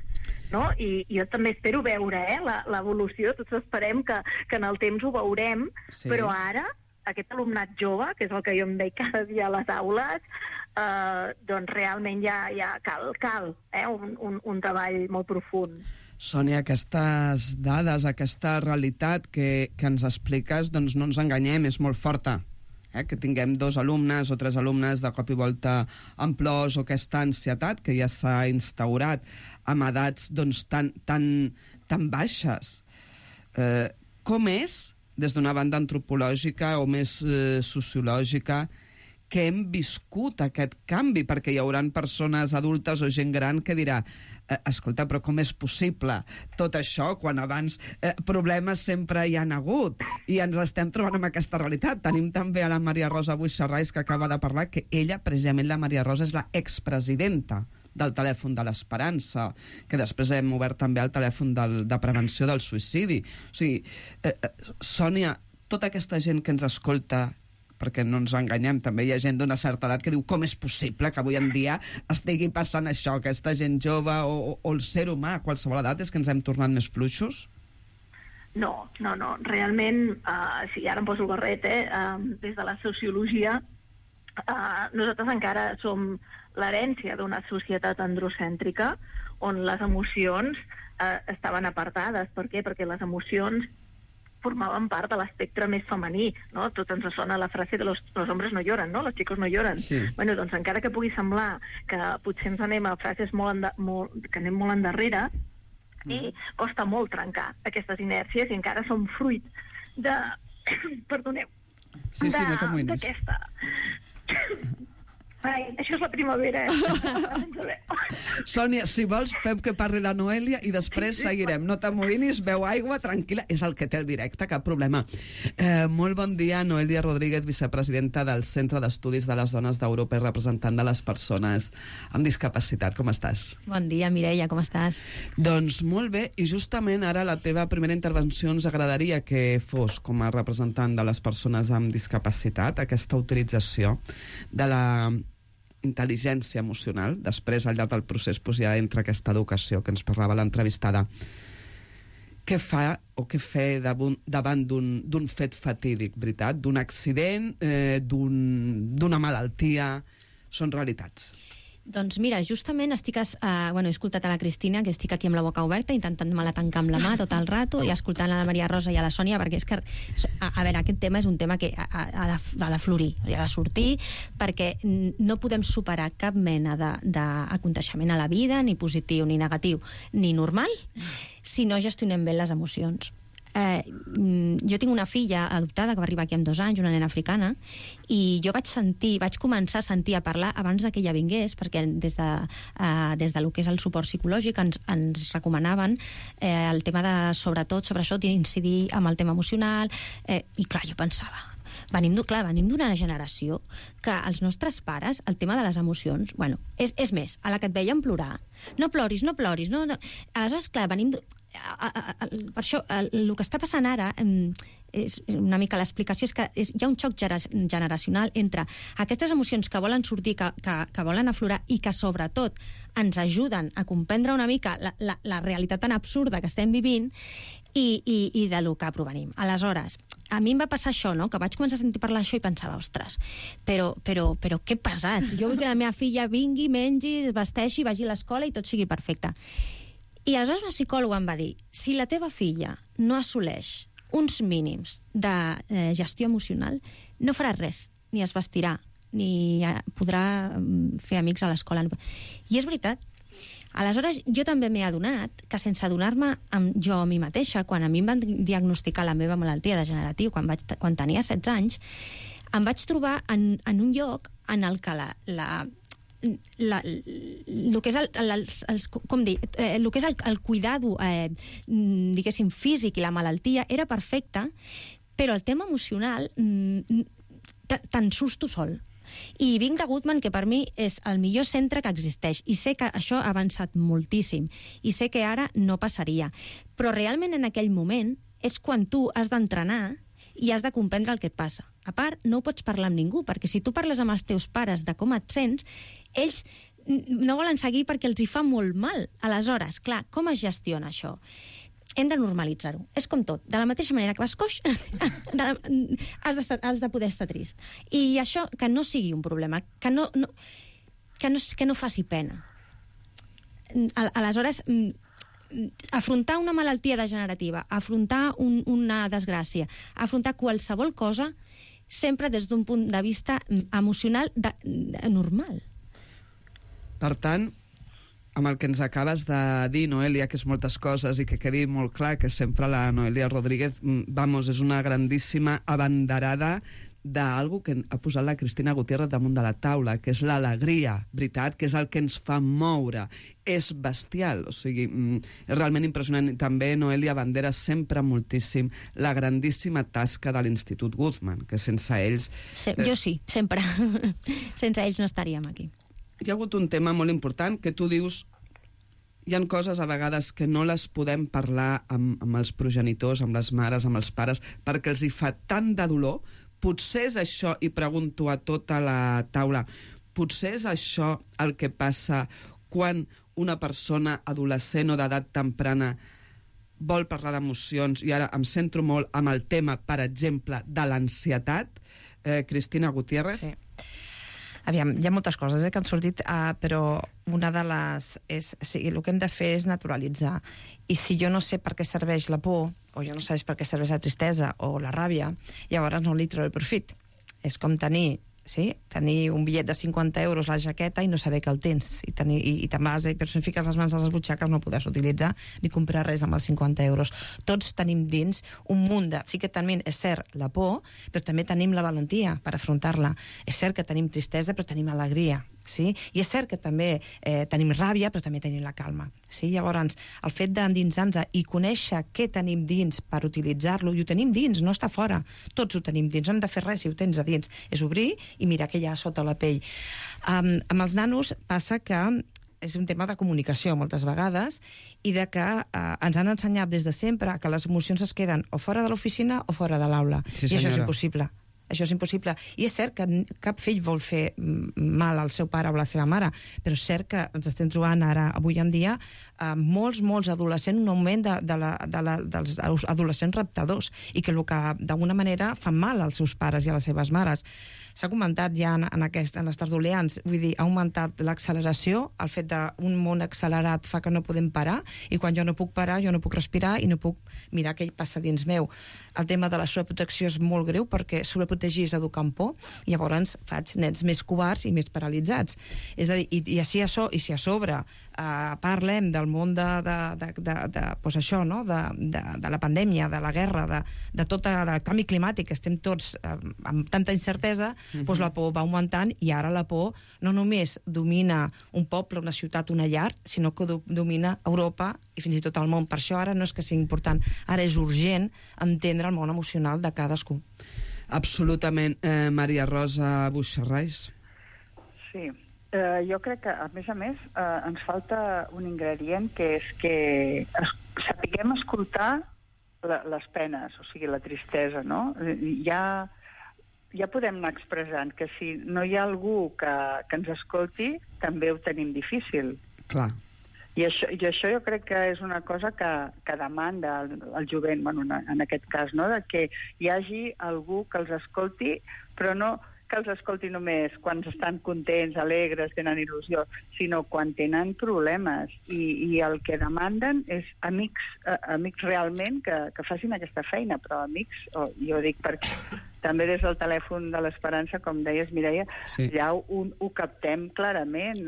no? I jo també espero veure l'evolució, tots esperem que en el temps ho veurem, però ara aquest alumnat jove, que és el que jo em veig cada dia a les aules, doncs realment ja cal un treball molt profund. Sònia, aquestes dades, aquesta realitat que ens expliques, doncs no ens enganyem, és molt forta. que tinguem 2 alumnes o 3 alumnes de cop i volta amb plors o aquesta ansietat que ja s'ha instaurat amb edats doncs, tan baixes. Com és, des d'una banda antropològica o més sociològica, que hem viscut aquest canvi? Perquè hi haurà persones adultes o gent gran que dirà escolta, però com és possible tot això quan abans problemes sempre hi han hagut i ens estem trobant amb aquesta realitat? Tenim també a la Maria Rosa Buixarrais, que acaba de parlar, que ella, precisament la Maria Rosa, és la expresidenta del telèfon de l'Esperança, que després hem obert també el telèfon de prevenció del suïcidi. O sigui, Sònia, tota aquesta gent que ens escolta, perquè no ens enganyem, també hi ha gent d'una certa edat que diu com és possible que avui en dia estigui passant això, aquesta gent jove o el ser humà a qualsevol edat, és que ens hem tornat més fluixos? No. Realment, si ara em poso el barret, des de la sociologia, nosaltres encara som l'herència d'una societat androcèntrica on les emocions estaven apartades. Per què? Perquè les emocions formaven part de l'espectre més femení, no? Tot ens sona la frase de los hombres no lloran, no? Los chicos no lloran. Sí. Bueno, doncs encara que pugui semblar que potser ens anem a frases que anem molt endarrere, costa molt trencar aquestes inèrcies i encara som fruit de... Perdoneu. Sí, no t'amoïnis. D'aquesta... Ai, això és la primavera, Sònia, si vols, fem que parli la Noèlia i després seguirem. No t'amoïnis, beu aigua, tranquil·la. És el que té el directe, cap problema. Molt bon dia, Noèlia Rodríguez, vicepresidenta del Centre d'Estudis de les Dones d'Europa i representant de les persones amb discapacitat. Com estàs? Bon dia, Mireia, com estàs? Doncs molt bé, i justament ara la teva primera intervenció ens agradaria que fos, com a representant de les persones amb discapacitat, aquesta utilització de la intel·ligència emocional. Després, al llarg del procés, ja entra aquesta educació que ens parlava l'entrevistada. Què fa o què fer davant d'un fet fatídic, veritat? D'un accident, d'una malaltia? Són realitats. Doncs mira, justament he escoltat a la Cristina, que estic aquí amb la boca oberta, intentant-me-la tancar amb la mà tot el rato, i escoltant a la Maria Rosa i a la Sònia, perquè és que, a veure, aquest tema és un tema que ha de florir, ha de sortir, perquè no podem superar cap mena d'aconteixement a la vida, ni positiu, ni negatiu, ni normal, si no gestionem bé les emocions. Jo tinc una filla adoptada que va arribar aquí amb 2 anys, una nena africana, i jo vaig començar a sentir a parlar abans que ella vingués, perquè des de lo que és el suport psicològic ens recomanaven el tema de, sobretot, sobre això, d'incidir amb el tema emocional, i clar, jo pensava, venim d'una generació que els nostres pares, el tema de les emocions, bueno, és més, a la que et veien plorar, no ploris, no. Aleshores, clar, venim... Per això, el que està passant ara, és una mica l'explicació, és que hi ha un xoc generacional entre aquestes emocions que volen sortir, que volen aflorar, i que, sobretot, ens ajuden a comprendre una mica la realitat tan absurda que estem vivint, i de lo que provenim. Aleshores, a mi em va passar això, no? Que vaig començar a sentir parlar això i pensava, ostres, però què pesat? Jo vull que la meva filla vingui, mengi, es vesteixi, vagi a l'escola i tot sigui perfecte. I aleshores una psicòloga em va dir, si la teva filla no assoleix uns mínims de gestió emocional, no farà res, ni es vestirà, ni podrà fer amics a l'escola. I és veritat. Aleshores, jo també m'he adonat que sense adonar-me jo a mi mateixa, quan a mi em van diagnosticar la meva malaltia degenerativa quan tenia 16 anys, em vaig trobar en un lloc en el que el que és el cuidado, diguéssim, físic i la malaltia era perfecta, però el tema emocional te'n surts tu sol. I vinc de Goodman, que per mi és el millor centre que existeix, i sé que això ha avançat moltíssim, i sé que ara no passaria. Però realment en aquell moment és quan tu has d'entrenar i has de comprendre el que et passa. A part, no ho pots parlar amb ningú, perquè si tu parles amb els teus pares de com et sents, ells no volen seguir perquè els hi fa molt mal. Aleshores, clar, com es gestiona això? Hem de normalitzar-ho. És com tot. De la mateixa manera que vas coix, has de poder estar trist. I això, que no sigui un problema, que no faci pena. Aleshores, afrontar una malaltia degenerativa, afrontar una desgràcia, afrontar qualsevol cosa, sempre des d'un punt de vista emocional normal. Per tant, amb el que ens acabes de dir, Noelia, que és moltes coses i que quedi molt clar que sempre la Noelia Rodríguez, és una grandíssima abanderada d'algú que ha posat la Cristina Gutiérrez damunt de la taula, que és l'alegria, veritat, que és el que ens fa moure. És bestial, o sigui, és realment impressionant. I també Noelia abandera sempre moltíssim la grandíssima tasca de l'Institut Guttmann, que sense ells... Jo sí, sempre. Sense ells no estaríem aquí. Hi ha hagut un tema molt important que tu dius hi ha coses a vegades que no les podem parlar amb els progenitors, amb les mares, amb els pares, perquè els hi fa tant de dolor. Potser és això, i pregunto a tota la taula, potser és això el que passa quan una persona adolescent o d'edat temprana vol parlar d'emocions, i ara em centro molt amb el tema, per exemple, de l'ansietat. Cristina Gutiérrez? Sí. Aviam, hi ha moltes coses que han sortit, però una de les... el que hem de fer és naturalitzar. I si jo no sé per què serveix la por, o jo no sé per què serveix la tristesa o la ràbia, llavors no li treu el profit. És com tenir un bitllet de 50 euros a la jaqueta i no saber que el tens. I te'n vas i personifiques les mans a les butxaques, no podràs utilitzar ni comprar res amb els 50 euros. Tots tenim dins un munt de... Sí que tenim, és cert, la por, però també tenim la valentia per afrontar-la. És cert que tenim tristesa, però tenim alegria. Sí? I és cert que també tenim ràbia, però també tenim la calma. Sí? Llavors, el fet d'endinsar-nos i conèixer què tenim dins per utilitzar-lo, i ho tenim dins, no està fora. Tots ho tenim dins, no hem de fer res si ho tens a dins. És obrir i mirar què hi ha sota la pell. Amb els nanos passa que és un tema de comunicació moltes vegades i de que ens han ensenyat des de sempre que les emocions es queden o fora de l'oficina o fora de l'aula. Sí, i això és impossible. Això és impossible. I és cert que cap fill vol fer mal al seu pare o a la seva mare, però és cert que ens estem trobant ara, avui en dia, molts adolescents, un augment dels adolescents raptadors, i que el que d'alguna manera fan mal als seus pares i a les seves mares. S'ha comentat ja en les tertulians, vull dir, ha augmentat l'acceleració, el fet d'un món accelerat fa que no podem parar, i quan jo no puc parar, jo no puc respirar i no puc mirar què passa dins meu. El tema de la sobreprotecció és molt greu, perquè sobreprotegir és educar amb por, i llavors faig nens més covards i més paralitzats. És a dir, i si a sobre parlem del món de la pandèmia, de la guerra, de tot el canvi climàtic, que estem tots amb tanta incertesa, doncs la por va augmentant, i ara la por no només domina un poble, una ciutat, una llar, sinó que domina Europa i fins i tot el món. Per això ara no és que sigui important, ara és urgent entendre el món emocional de cadascú. Absolutament. Maria Rosa Buixarrais? Sí. Jo crec que, a més, ens falta un ingredient, que és que sapiguem escoltar les penes, o sigui, la tristesa, no? Ja podem anar expressant que si no hi ha algú que ens escolti, també ho tenim difícil. Clar. I això jo crec que és una cosa que demanda el jovent, en aquest cas, no? De que hi hagi algú que els escolti, però no que els escolti només quan estan contents, alegres, tenen il·lusió, sinó quan tenen problemes. I el que demanden és amics realment que facin aquesta feina, però amics, jo dic perquè també des del telèfon de l'Esperança, com deies, Mireia, ja ho captem clarament.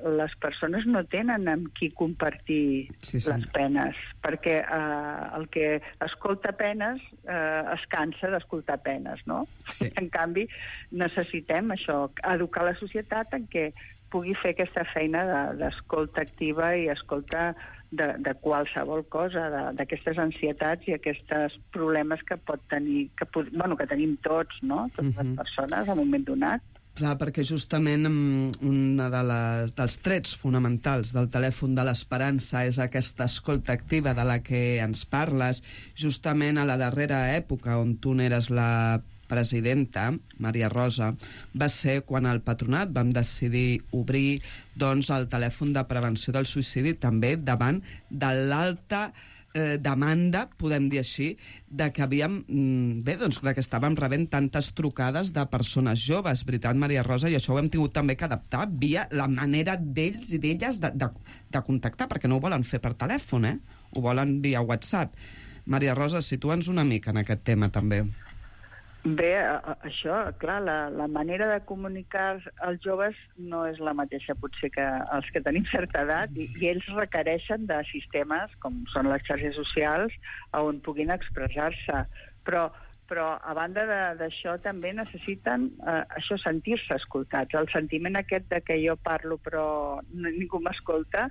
Les persones no tenen amb qui compartir les penes, perquè el que escolta penes es cansa d'escoltar penes, no? Sí. En canvi, necessitem això, educar la societat en què pugui fer aquesta feina d'escolta activa i escolta de qualsevol cosa, d'aquestes ansietats i aquests problemes que pot tenir, que tenim tots, no? Totes les persones, en un moment donat. Clar, perquè justament un dels trets fonamentals del telèfon de l'Esperança és aquesta escolta activa de la que ens parles, justament a la darrera època on tu n'eres la presidenta, Maria Rosa, va ser quan al Patronat vam decidir obrir el telèfon de prevenció del suïcidi, també davant de l'alta demanda, podem dir així, de que havíem, de que estàvem rebent tantes trucades de persones joves, veritat, Maria Rosa, i això ho hem tingut també que adaptar via la manera d'ells i d'elles de contactar, perquè no ho volen fer per telèfon, ho volen via WhatsApp. Maria Rosa, situa'ns una mica en aquest tema, també. Bé, això, clar, la manera de comunicar als joves no és la mateixa potser que els que tenim certa edat i ells requereixen de sistemes com són les xarxes socials on puguin expressar-se. Però a banda d'això també necessiten això, sentir-se escoltats. El sentiment aquest de que jo parlo però ningú m'escolta,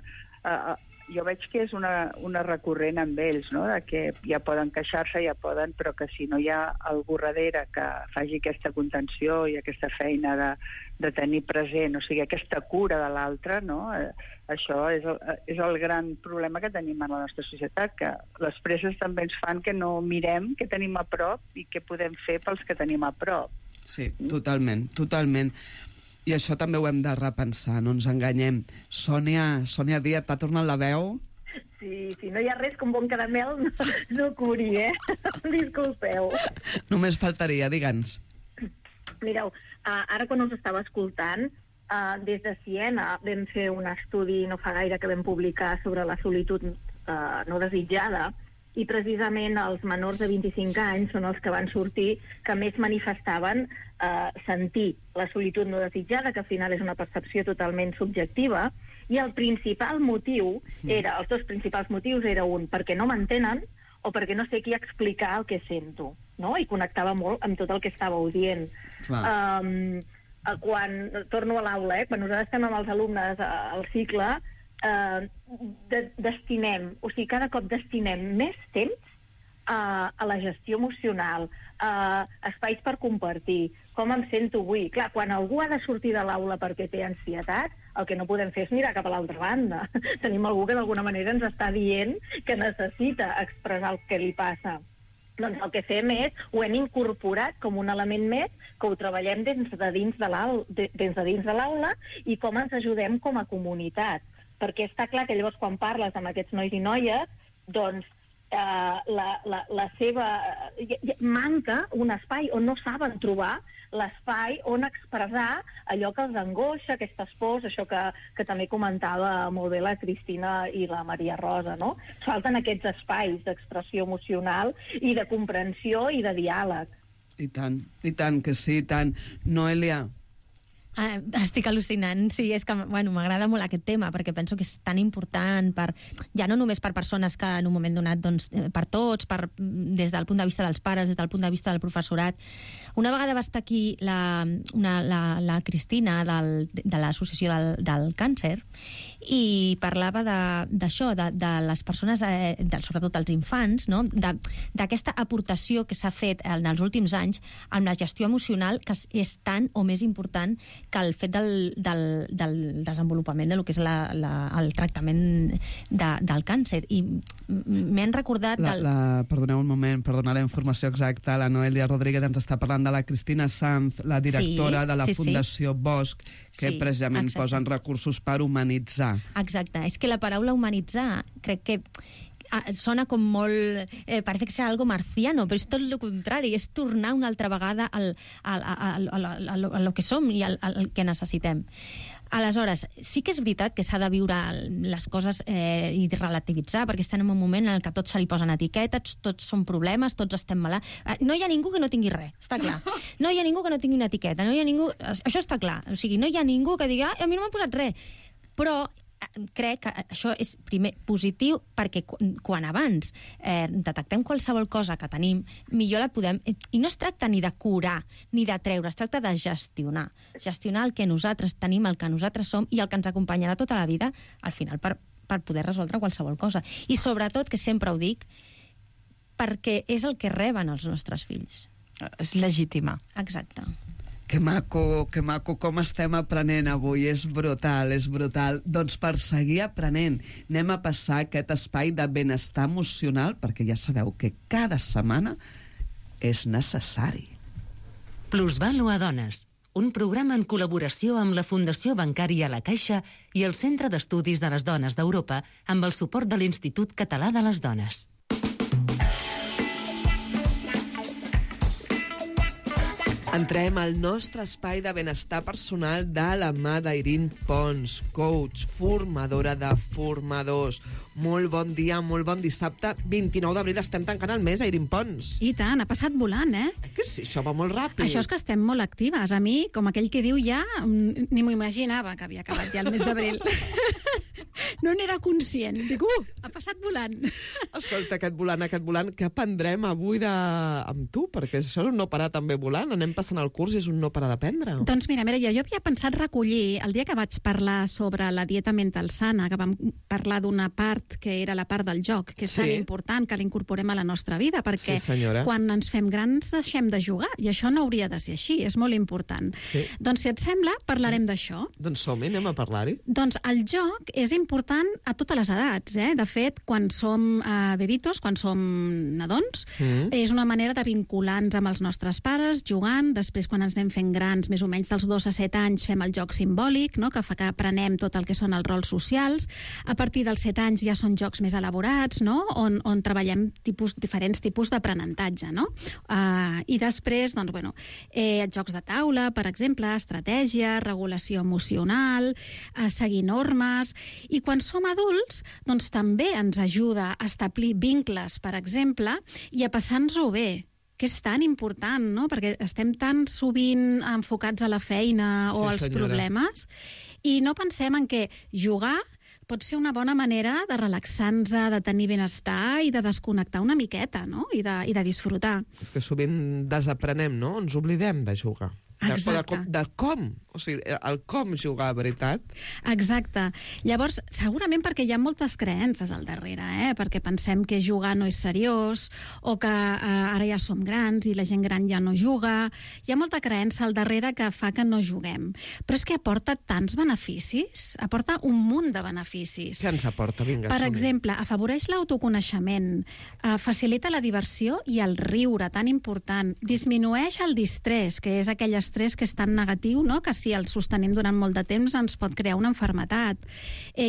jo veig que és una recurrent amb ells, no? De que ja poden queixar-se, però que si no hi ha algú darrere que faci aquesta contenció i aquesta feina de tenir present, o sigui, aquesta cura de l'altre, no? Això és el gran problema que tenim en la nostra societat, que les presses també ens fan que no mirem què tenim a prop i què podem fer pels que tenim a prop. Sí, totalment, totalment. I això també ho hem de repensar, no ens enganyem. Sònia Díaz, t'ha tornat la veu? Sí, no hi ha res com bon caramel, no curi, Disculpeu. Només faltaria, digue'ns. Mireu, ara quan us estava escoltant, des de Siena vam fer un estudi no fa gaire que vam publicar sobre la solitud no desitjada, i precisament els menors de 25 anys són els que van sortir que més manifestaven sentir la solitud no desitjada, que al final és una percepció totalment subjectiva, i el principal motiu els dos principals motius era un, perquè no m'entenen o perquè no sé qui explicar el que sento, no? I connectava molt amb tot el que estàveu dient. Quan torno a l'aula, quan nosaltres estem amb els alumnes al cicle, destinem, o sigui, cada cop destinem més temps a la gestió emocional, espais per compartir, com em sento avui. Clar, quan algú ha de sortir de l'aula perquè té ansietat, el que no podem fer és mirar cap a l'altra banda. Tenim algú que d'alguna manera ens està dient que necessita expressar el que li passa. Doncs el que fem ho hem incorporat com un element més, que ho treballem des de dins de l'aula i com ens ajudem com a comunitat. Perquè està clar que llavors quan parles amb aquests nois i noies, doncs la seva... manca un espai on no saben trobar l'espai on expressar allò que els angoixa, aquestes pors, això que també comentava molt bé la Cristina i la Maria Rosa, no? Falten aquests espais d'expressió emocional i de comprensió i de diàleg. I tant que sí, i tant. Noelia... Estic al·lucinant, sí, és que m'agrada molt aquest tema, perquè penso que és tan important ja no només per persones que en un moment donat, doncs, per tots, des del punt de vista dels pares, des del punt de vista del professorat. Una vegada va estar aquí la Cristina de l'Associació del Càncer i parlava d'això, de les persones, sobretot els infants, no? D'aquesta aportació que s'ha fet en els últims anys amb la gestió emocional, que és tan o més important que el fet del desenvolupament del que és el tractament del càncer. I m'han recordat... Perdoneu un moment, per donar la informació exacta, la Noelia Rodríguez ens està parlant de la Cristina Sanz, la directora de la Fundació Bosch, que precisament posen recursos per humanitzar. Exacte. És que la paraula humanitzar crec que sona com molt... parece que sea algo marciano, però és tot el contrari, és tornar una altra vegada a lo que som i al que necessitem. Aleshores, sí que és veritat que s'ha de viure les coses i relativitzar, perquè estem en un moment en què tot se li posen etiquetes, tots són problemes, tots estem malalts. No hi ha ningú que no tingui res, està clar. No hi ha ningú que no tingui una etiqueta, no hi ha ningú... Això està clar. O sigui, no hi ha ningú que digui a mi no m'ha posat res. Però crec que això és, primer, positiu, perquè quan abans detectem qualsevol cosa que tenim, millor la podem... I no es tracta ni de curar, ni de treure, es tracta de gestionar. Gestionar el que nosaltres tenim, el que nosaltres som i el que ens acompanyarà tota la vida, al final, per poder resoldre qualsevol cosa. I sobretot, que sempre ho dic, perquè és el que reben els nostres fills. És legítima. Exacte. Que maco, com estem aprenent avui, és brutal, és brutal. Doncs per seguir aprenent, anem a passar aquest espai de benestar emocional, perquè ja sabeu que cada setmana és necessari. Plusvàlua Dones, un programa en col·laboració amb la Fundació Bancària La Caixa i el Centre d'Estudis de les Dones d'Europa amb el suport de l'Institut Català de les Entrem al nostre espai de benestar personal de la mà d'Irene Pons, coach, formadora de formadors. Molt bon dia, molt bon dissabte. 29 d'abril estem tancant el mes, Irene Pons. I tant, ha passat volant, eh? Que sí, això va molt ràpid. Això és que estem molt actives. A mi, com aquell que diu ja, ni m'ho imaginava que havia acabat ja el mes d'abril. No n'era conscient. Dic, ha passat volant. Escolta, aquest volant, què aprendrem avui amb tu? Perquè això és un no parar també volant. Anem passant el curs i és un no parar d'aprendre. Doncs mira, jo havia pensat recollir, el dia que vaig parlar sobre la dieta mental sana, que vam parlar d'una part que era la part del joc, que és tan important que l'incorporem a la nostra vida, perquè quan ens fem grans deixem de jugar, i això no hauria de ser així, és molt important. Doncs si et sembla, parlarem d'això. Doncs som-hi, anem a parlar-hi. Doncs el joc és important a totes les edats, eh? De fet, quan som bebitos, quan som nadons, és una manera de vincular-nos amb els nostres pares, jugant. Després, quan ens anem fent grans, més o menys dels 2 a 7 anys, fem el joc simbòlic, no? Que fa que aprenem tot el que són els rols socials. A partir dels 7 anys ja són jocs més elaborats, no? On treballem diferents tipus d'aprenentatge, no? I després, doncs, jocs de taula, per exemple, estratègia, regulació emocional, seguir normes. I quan som adults, doncs també ens ajuda a establir vincles, per exemple, i a passar-nos-ho bé, que és tan important, no? Perquè estem tan sovint enfocats a la feina o als problemes, i no pensem en que jugar pot ser una bona manera de relaxar-nos, de tenir benestar i de desconnectar una miqueta, no? I de disfrutar. És que sovint desaprenem, no? Ens oblidem de jugar. Exacte. De com, o sigui, el com jugar, veritat. Exacte. Llavors, segurament perquè hi ha moltes creences al darrere, perquè pensem que jugar no és seriós, o que ara ja som grans i la gent gran ja no juga. Hi ha molta creença al darrere que fa que no juguem. Però és que aporta tants beneficis, aporta un munt de beneficis. Què ens aporta? Vinga, per exemple, afavoreix l'autoconeixement, facilita la diversió i el riure, tan important. Disminueix el distrés, que és aquell estrès que és tan negatiu, no? Que si el sostenim durant molt de temps ens pot crear una malaltia.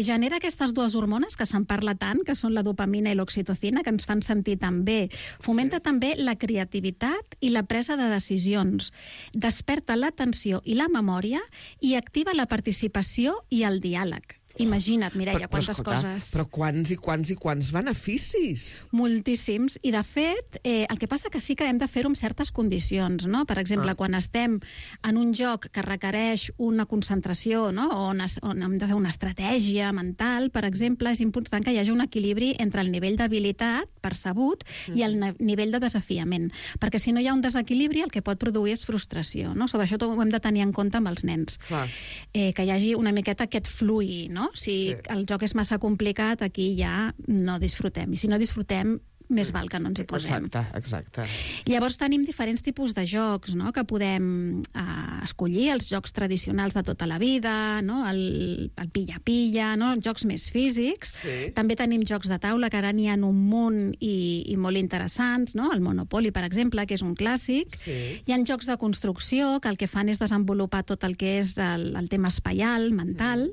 Genera aquestes dues hormones que se'n parla tant, que són la dopamina i l'oxitocina, que ens fan sentir tan bé. Fomenta també la creativitat i la presa de decisions. Desperta l'atenció i la memòria i activa la participació i el diàleg. Imagina't, Mireia, quantes coses. Però quants i quants beneficis? Moltíssims. I, de fet, el que passa que sí que hem de fer-ho amb certes condicions, no? Per exemple, quan estem en un joc que requereix una concentració, no? On hem de fer una estratègia mental, per exemple, és important que hi hagi un equilibri entre el nivell d'habilitat percebut i el nivell de desafiament. Perquè si no hi ha un desequilibri, el que pot produir és frustració, no? Sobre això ho hem de tenir en compte amb els nens. Que hi hagi una miqueta aquest fluir, no? Si el joc és massa complicat, aquí ja no disfrutem. I si no disfrutem, més val que no ens hi posem. Exacte. Llavors tenim diferents tipus de jocs, no? Que podem escollir, els jocs tradicionals de tota la vida, no? El pilla-pilla, no? Jocs més físics. També tenim jocs de taula, que ara n'hi ha un munt i molt interessants, no? El Monopoly, per exemple, que és un clàssic. Hi ha jocs de construcció, que el que fan és desenvolupar tot el que és el tema espaial, mental.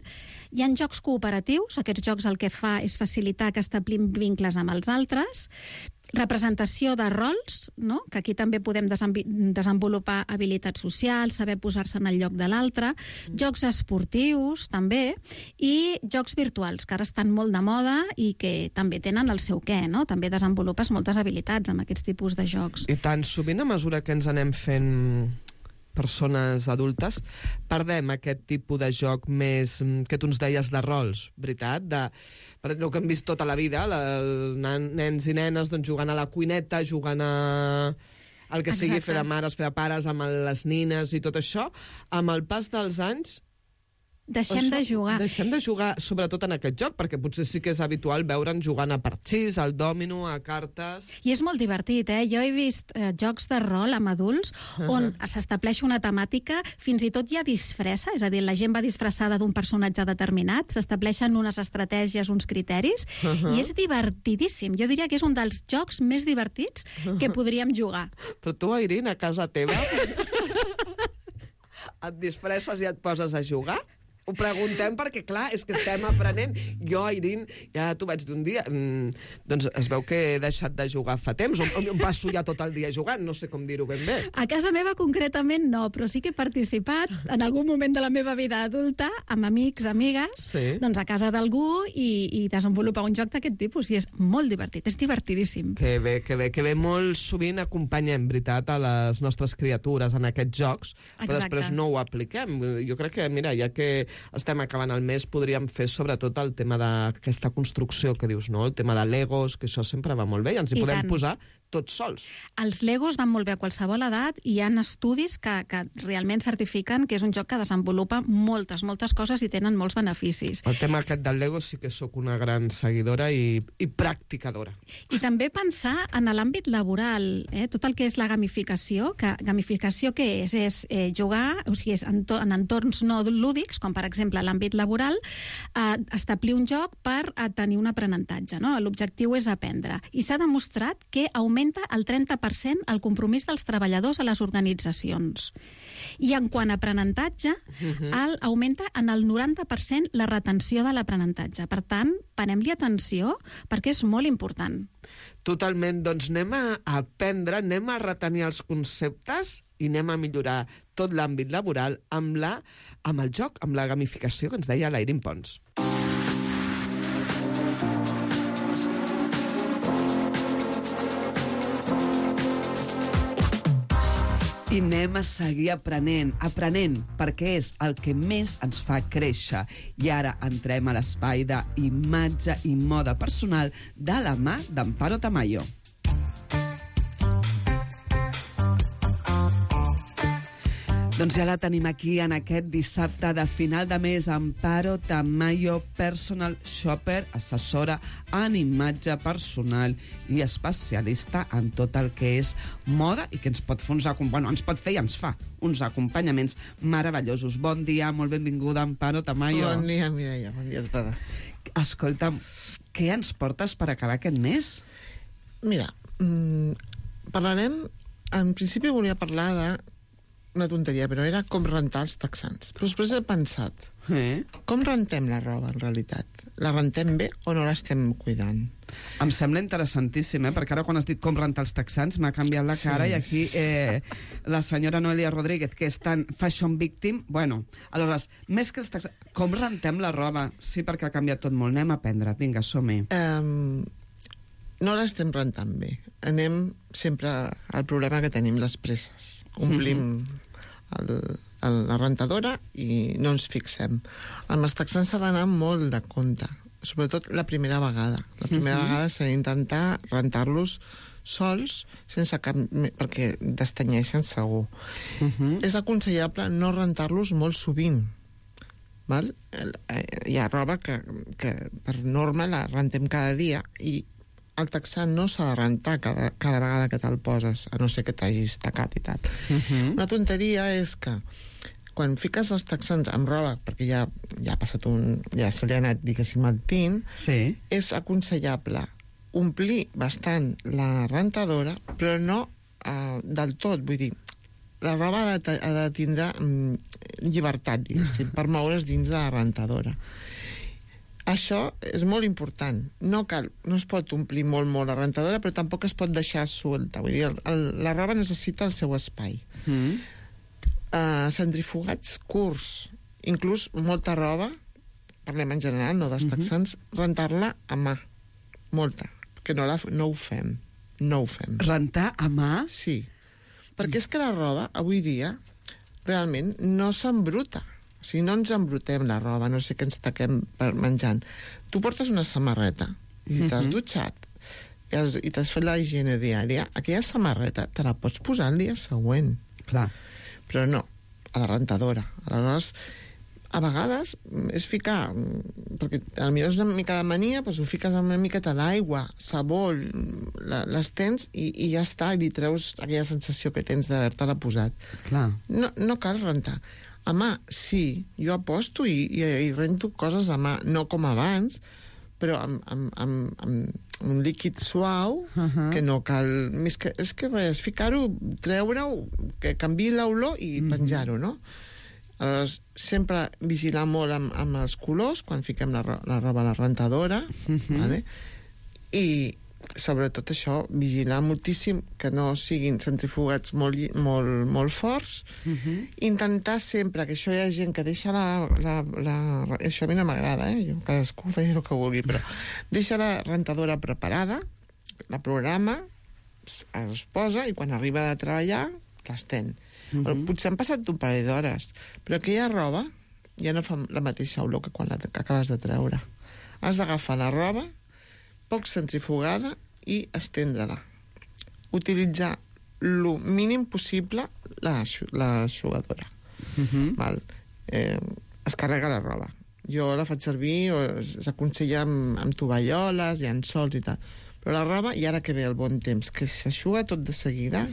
Hi ha jocs cooperatius, aquests jocs el que fa és facilitar que establim vincles amb els altres. Representació de rols, no? Que aquí també podem desenvolupar habilitats socials, saber posar-se en el lloc de l'altre. Jocs esportius, també, i jocs virtuals, que ara estan molt de moda i que també tenen el seu què, no? També desenvolupes moltes habilitats amb aquests tipus de jocs. I tant, sovint a mesura que ens anem fent persones adultes, perdem aquest tipus de joc més que tu ens deies de rols, veritat? Per el que hem vist tota la vida, nens i nenes jugant a la cuineta, jugant a el que sigui, fer de mares, fer de pares, amb les nines i tot això. Amb el pas dels anys Deixem de jugar, sobretot en aquest joc, perquè potser sí que és habitual veure'n jugant a parxís, al dòmino, a cartes... I és molt divertit, eh? Jo he vist jocs de rol amb adults on s'estableix una temàtica, fins i tot hi ha disfressa, és a dir, la gent va disfressada d'un personatge determinat, s'estableixen unes estratègies, uns criteris, i és divertidíssim. Jo diria que és un dels jocs més divertits que podríem jugar. Però tu, Irene, a casa teva et disfresses i et poses a jugar? Ho preguntem perquè, clar, és que estem aprenent. Jo, Irene, ja t'ho vaig dir un dia, doncs es veu que he deixat de jugar fa temps, o em passo ja tot el dia jugant, no sé com dir-ho ben bé. A casa meva concretament no, però sí que he participat en algun moment de la meva vida adulta amb amics, amigues, doncs a casa d'algú i desenvolupar un joc d'aquest tipus, i és molt divertit, és divertidíssim. Que bé, que bé, que bé. Molt sovint acompanyem, veritat, a les nostres criatures en aquests jocs, però després no ho apliquem. Jo crec que, mira, ja que estem acabant el mes, podríem fer sobretot el tema d'aquesta construcció que dius, no? El tema de Legos, que això sempre va molt bé, i ens hi podem posar tots sols. Els Legos van molt bé a qualsevol edat, i hi ha estudis que realment certifiquen que és un joc que desenvolupa moltes coses i tenen molts beneficis. El tema aquest del Lego sí que sóc una gran seguidora i practicadora. I també pensar en l'àmbit laboral, tot el que és la gamificació, que gamificació què és? És jugar, o sigui, és en entorns no lúdics, com per exemple l'àmbit laboral, establir un joc per tenir un aprenentatge, no? L'objectiu és aprendre. I s'ha demostrat que augmenta el 30% el compromís dels treballadors a les organitzacions. I en quant a aprenentatge, augmenta en el 90% la retenció de l'aprenentatge. Per tant, parem-li atenció perquè és molt important. Totalment, doncs anem a aprendre, anem a retenir els conceptes i anem a millorar tot l'àmbit laboral amb el joc, amb la gamificació que ens deia la Irene Pons. I anem a seguir aprenent, perquè és el que més ens fa créixer. I ara entrem a l'espai d'imatge i moda personal de la mà d'Amparo Tamayo. Doncs ja la tenim aquí en aquest dissabte de final de mes. Amparo Tamayo, personal shopper, assessora en imatge personal i especialista en tot el que és moda i que ens pot fer ens pot fer i ens fa uns acompanyaments meravellosos. Bon dia, molt benvinguda, Amparo Tamayo. Bon dia, Mireia, bon dia a totes. Escolta'm, què ens portes per acabar aquest mes? Mira, parlarem... En principi volia parlar de una tonteria, però era com rentar els texans. Però després he pensat, com rentem la roba, en realitat? La rentem bé o no l'estem cuidant? Em sembla interessantíssim, perquè ara quan has dit com rentar els texans m'ha canviat la cara, i aquí la senyora Noelia Rodríguez, que és tan fashion victim, bueno, aleshores, més que els texans, com rentem la roba? Sí, perquè ha canviat tot molt. Anem a aprendre. Vinga, som-hi. No l'estem rentant bé. Anem sempre al problema que tenim, les presses. Omplim la rentadora i no ens fixem. Amb els texans s'ha d'anar molt de compte, sobretot la primera vegada. La primera vegada s'ha d'intentar rentar-los sols, sense cap... perquè destanyeixen segur. És aconsellable no rentar-los molt sovint. Val? Hi ha roba que per norma la rentem cada dia i el texan no s'ha de rentar cada vegada que te'l poses, a no ser que t'hagis tacat i tal. Una tonteria és que quan fiques els texans amb roba, perquè ja ha passat ja se li ha anat, diguéssim, el tint, és aconsellable omplir bastant la rentadora, però no del tot, vull dir, la roba ha de tindre llibertat, diguéssim, per moure's dins de la rentadora. Això és molt important. No es pot omplir molt la rentadora, però tampoc es pot deixar suelta. Vull dir, la roba necessita el seu espai. Centrifugats curts, inclús molta roba, parlem en general, no dels texans, rentar-la a mà. Molta. Que no ho fem. No ho fem. Rentar a mà? Sí. Perquè és que la roba, avui dia, realment no s'embruta. O sigui, no ens embrutem la roba, no sé què ens taquem menjant. Tu portes una samarreta i t'has dutxat i t'has fet la higiene diària, aquella samarreta te la pots posar el dia següent. Clar. Però no, a la rentadora. Aleshores, a vegades és ficar, perquè potser és una mica de mania, doncs ho fiques amb una miqueta d'aigua, sabó, les tens i ja està, i li treus aquella sensació que tens d'haver-te-la posat. Clar. No cal rentar. A mà, sí, jo aposto i rento coses a mà, no com abans, però amb un líquid suau, que no cal... És que res, ficar-ho, treure-ho, que canviï l'olor i penjar-ho, no? Aleshores, sempre vigilar molt amb els colors quan fiquem la roba a la rentadora, vale? I sobretot això, vigilar moltíssim que no siguin centrifugats molt forts. Intentar sempre, que això hi ha gent que deixa això a mi no m'agrada, cadascú faci el que vulgui, però deixa la rentadora preparada, la programa, es posa i quan arriba de treballar l'estén. Potser han passat un parell d'hores, però aquella roba ja no fa la mateixa olor que quan l'acabes de treure. Has d'agafar la roba poc centrifugada i estendre-la. Utilitzar el mínim possible l'aixugadora. Es carrega la roba. Jo la faig servir, s'aconsella amb tovalloles i ansols i tal. Però la roba, i ara que ve el bon temps, que s'aixuga tot de seguida,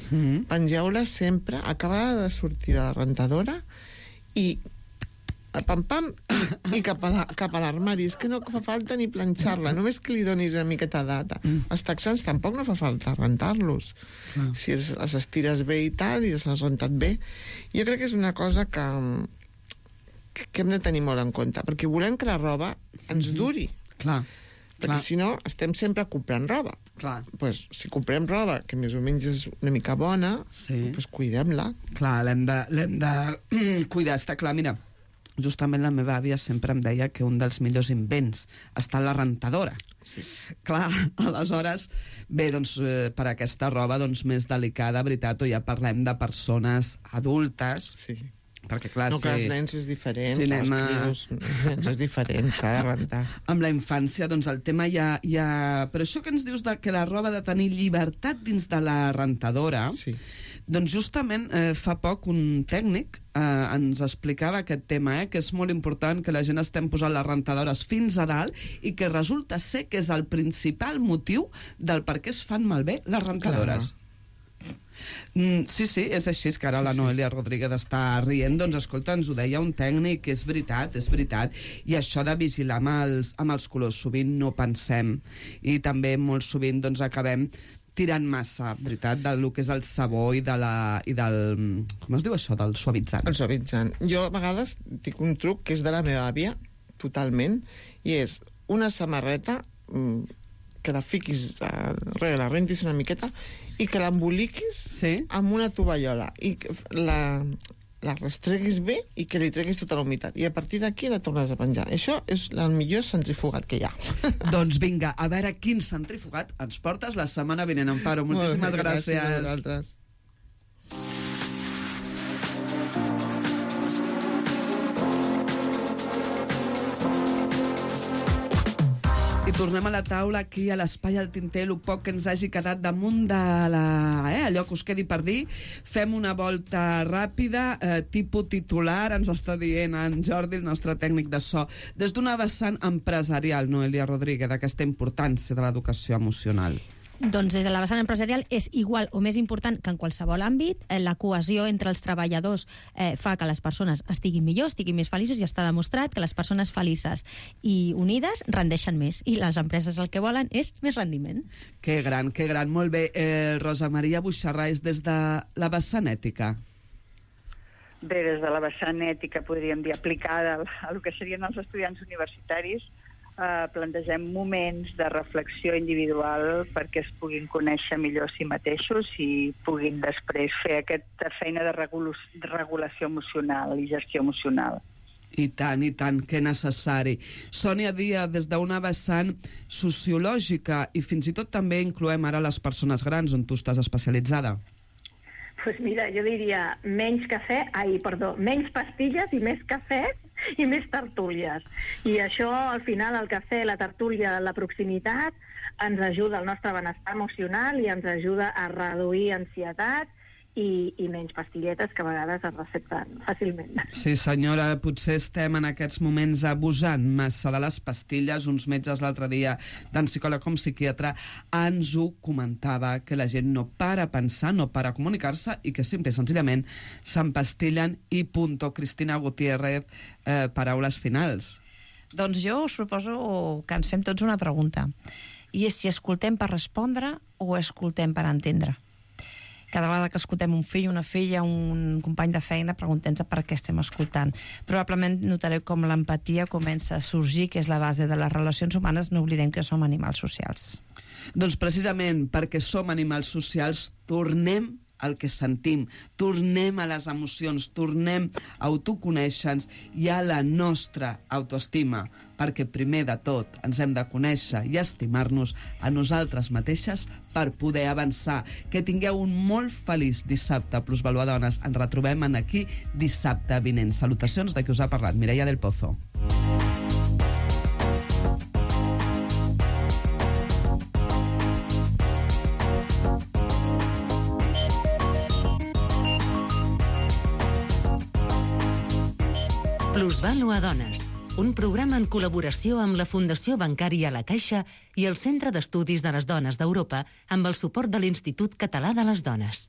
pengeu-la sempre, acabada de sortir de la rentadora, i pam-pam, i cap a l'armari. És que no fa falta ni planxar-la, només que li donis una miqueta de data. Els texans tampoc no fa falta rentar-los. Si els estires bé i tal, i els has rentat bé. Jo crec que és una cosa que hem de tenir molt en compte, perquè volem que la roba ens duri. Clar. Perquè si no, estem sempre comprant roba. Pues, si comprem roba que més o menys és una mica bona, pues cuidem-la. Clar, l'hem de cuidar, està clar. Mira, justament la meva àvia sempre em deia que un dels millors invents està en la rentadora. Clar, aleshores, bé, doncs, per aquesta roba més delicada, veritat, o ja parlem de persones adultes, perquè clar, no, clar, els nens és diferent, els nens és diferent, s'ha de rentar. Amb la infància, doncs el tema ja... Però això que ens dius que la roba ha de tenir llibertat dins de la rentadora, doncs justament fa poc un tècnic ens explicava aquest tema, que és molt important que la gent estem posant les rentadores fins a dalt i que resulta ser que és el principal motiu del per què es fan malbé les rentadores. Sí, és així, és que ara la Noelia Rodríguez està rient, doncs escolta, ens ho deia un tècnic, és veritat, i això de vigilar amb els colors, sovint no pensem, i també molt sovint doncs acabem tirant massa, veritat, del que és el sabó i del... com es diu això, del suavitzant? El suavitzant. Jo a vegades dic un truc que és de la meva àvia, totalment, i és una samarreta que la fiquis, la rentis una miqueta, i que l'emboliquis amb una tovallola, i la restreguis bé i que li treguis tota la humitat. I a partir d'aquí la tornes a penjar. Això és el millor centrifugat que hi ha. Doncs vinga, a veure quin centrifugat ens portes la setmana vinent, Amparo. Moltíssimes gràcies. Gràcies a vosaltres. I tornem a la taula aquí a l'Espai al Tinter, el poc que ens hagi quedat damunt de allò que us quedi per dir. Fem una volta ràpida, tipus titular, ens està dient en Jordi, el nostre tècnic de so, des d'una vessant empresarial, Noelia Rodríguez, d'aquesta importància de l'educació emocional. Doncs des de la vessant empresarial és igual o més important que en qualsevol àmbit. La cohesió entre els treballadors fa que les persones estiguin millor, estiguin més felices, i està demostrat que les persones felices i unides rendeixen més, i les empreses el que volen és més rendiment. Que gran. Molt bé. Rosa Maria Buixarrais, des de la vessant ètica. Bé, des de la vessant ètica, podríem dir, aplicada a el que serien els estudiants universitaris, plantegem moments de reflexió individual perquè es puguin conèixer millor a si mateixos i puguin després fer aquesta feina de regulació emocional i gestió emocional. I tant, que necessari. Sònia Díaz, des d'una vessant sociològica, i fins i tot també incloem ara les persones grans, on tu estàs especialitzada. Pues mira, jo diria menys pastilles i més cafè i més tertúlies. I això, al final, el cafè, la tertúlia, la proximitat, ens ajuda al nostre benestar emocional i ens ajuda a reduir ansietat i menys pastilletes que a vegades es recepten fàcilment. Sí, senyora, potser estem en aquests moments abusant massa de les pastilles. Uns metges l'altre dia, tant psicòleg com psiquiatre, ens ho comentava, que la gent no para a pensar, no para a comunicar-se i que simple i senzillament s'empastillen i punto. Cristina Gutiérrez, paraules finals. Doncs jo us proposo que ens fem tots una pregunta, i és si escoltem per respondre o escoltem per entendre. cada vegada que escoltem un fill, una filla, un company de feina, preguntem-nos per què estem escoltant. Probablement notareu com l'empatia comença a sorgir, que és la base de les relacions humanes. No oblidem que som animals socials. Doncs precisament perquè som animals socials, tornem al que sentim, tornem a les emocions, tornem a autoconèixer-nos i a la nostra autoestima, perquè primer de tot ens hem de conèixer i estimar-nos a nosaltres mateixes per poder avançar. Que tingueu un molt feliç dissabte, plusvaluadones. Ens retrobem aquí dissabte vinent. Salutacions de qui us ha parlat, Mireia del Pozo. Plusvalua Dones, un programa en col·laboració amb la Fundació Bancària La Caixa i el Centre d'Estudis de les Dones d'Europa amb el suport de l'Institut Català de les Dones.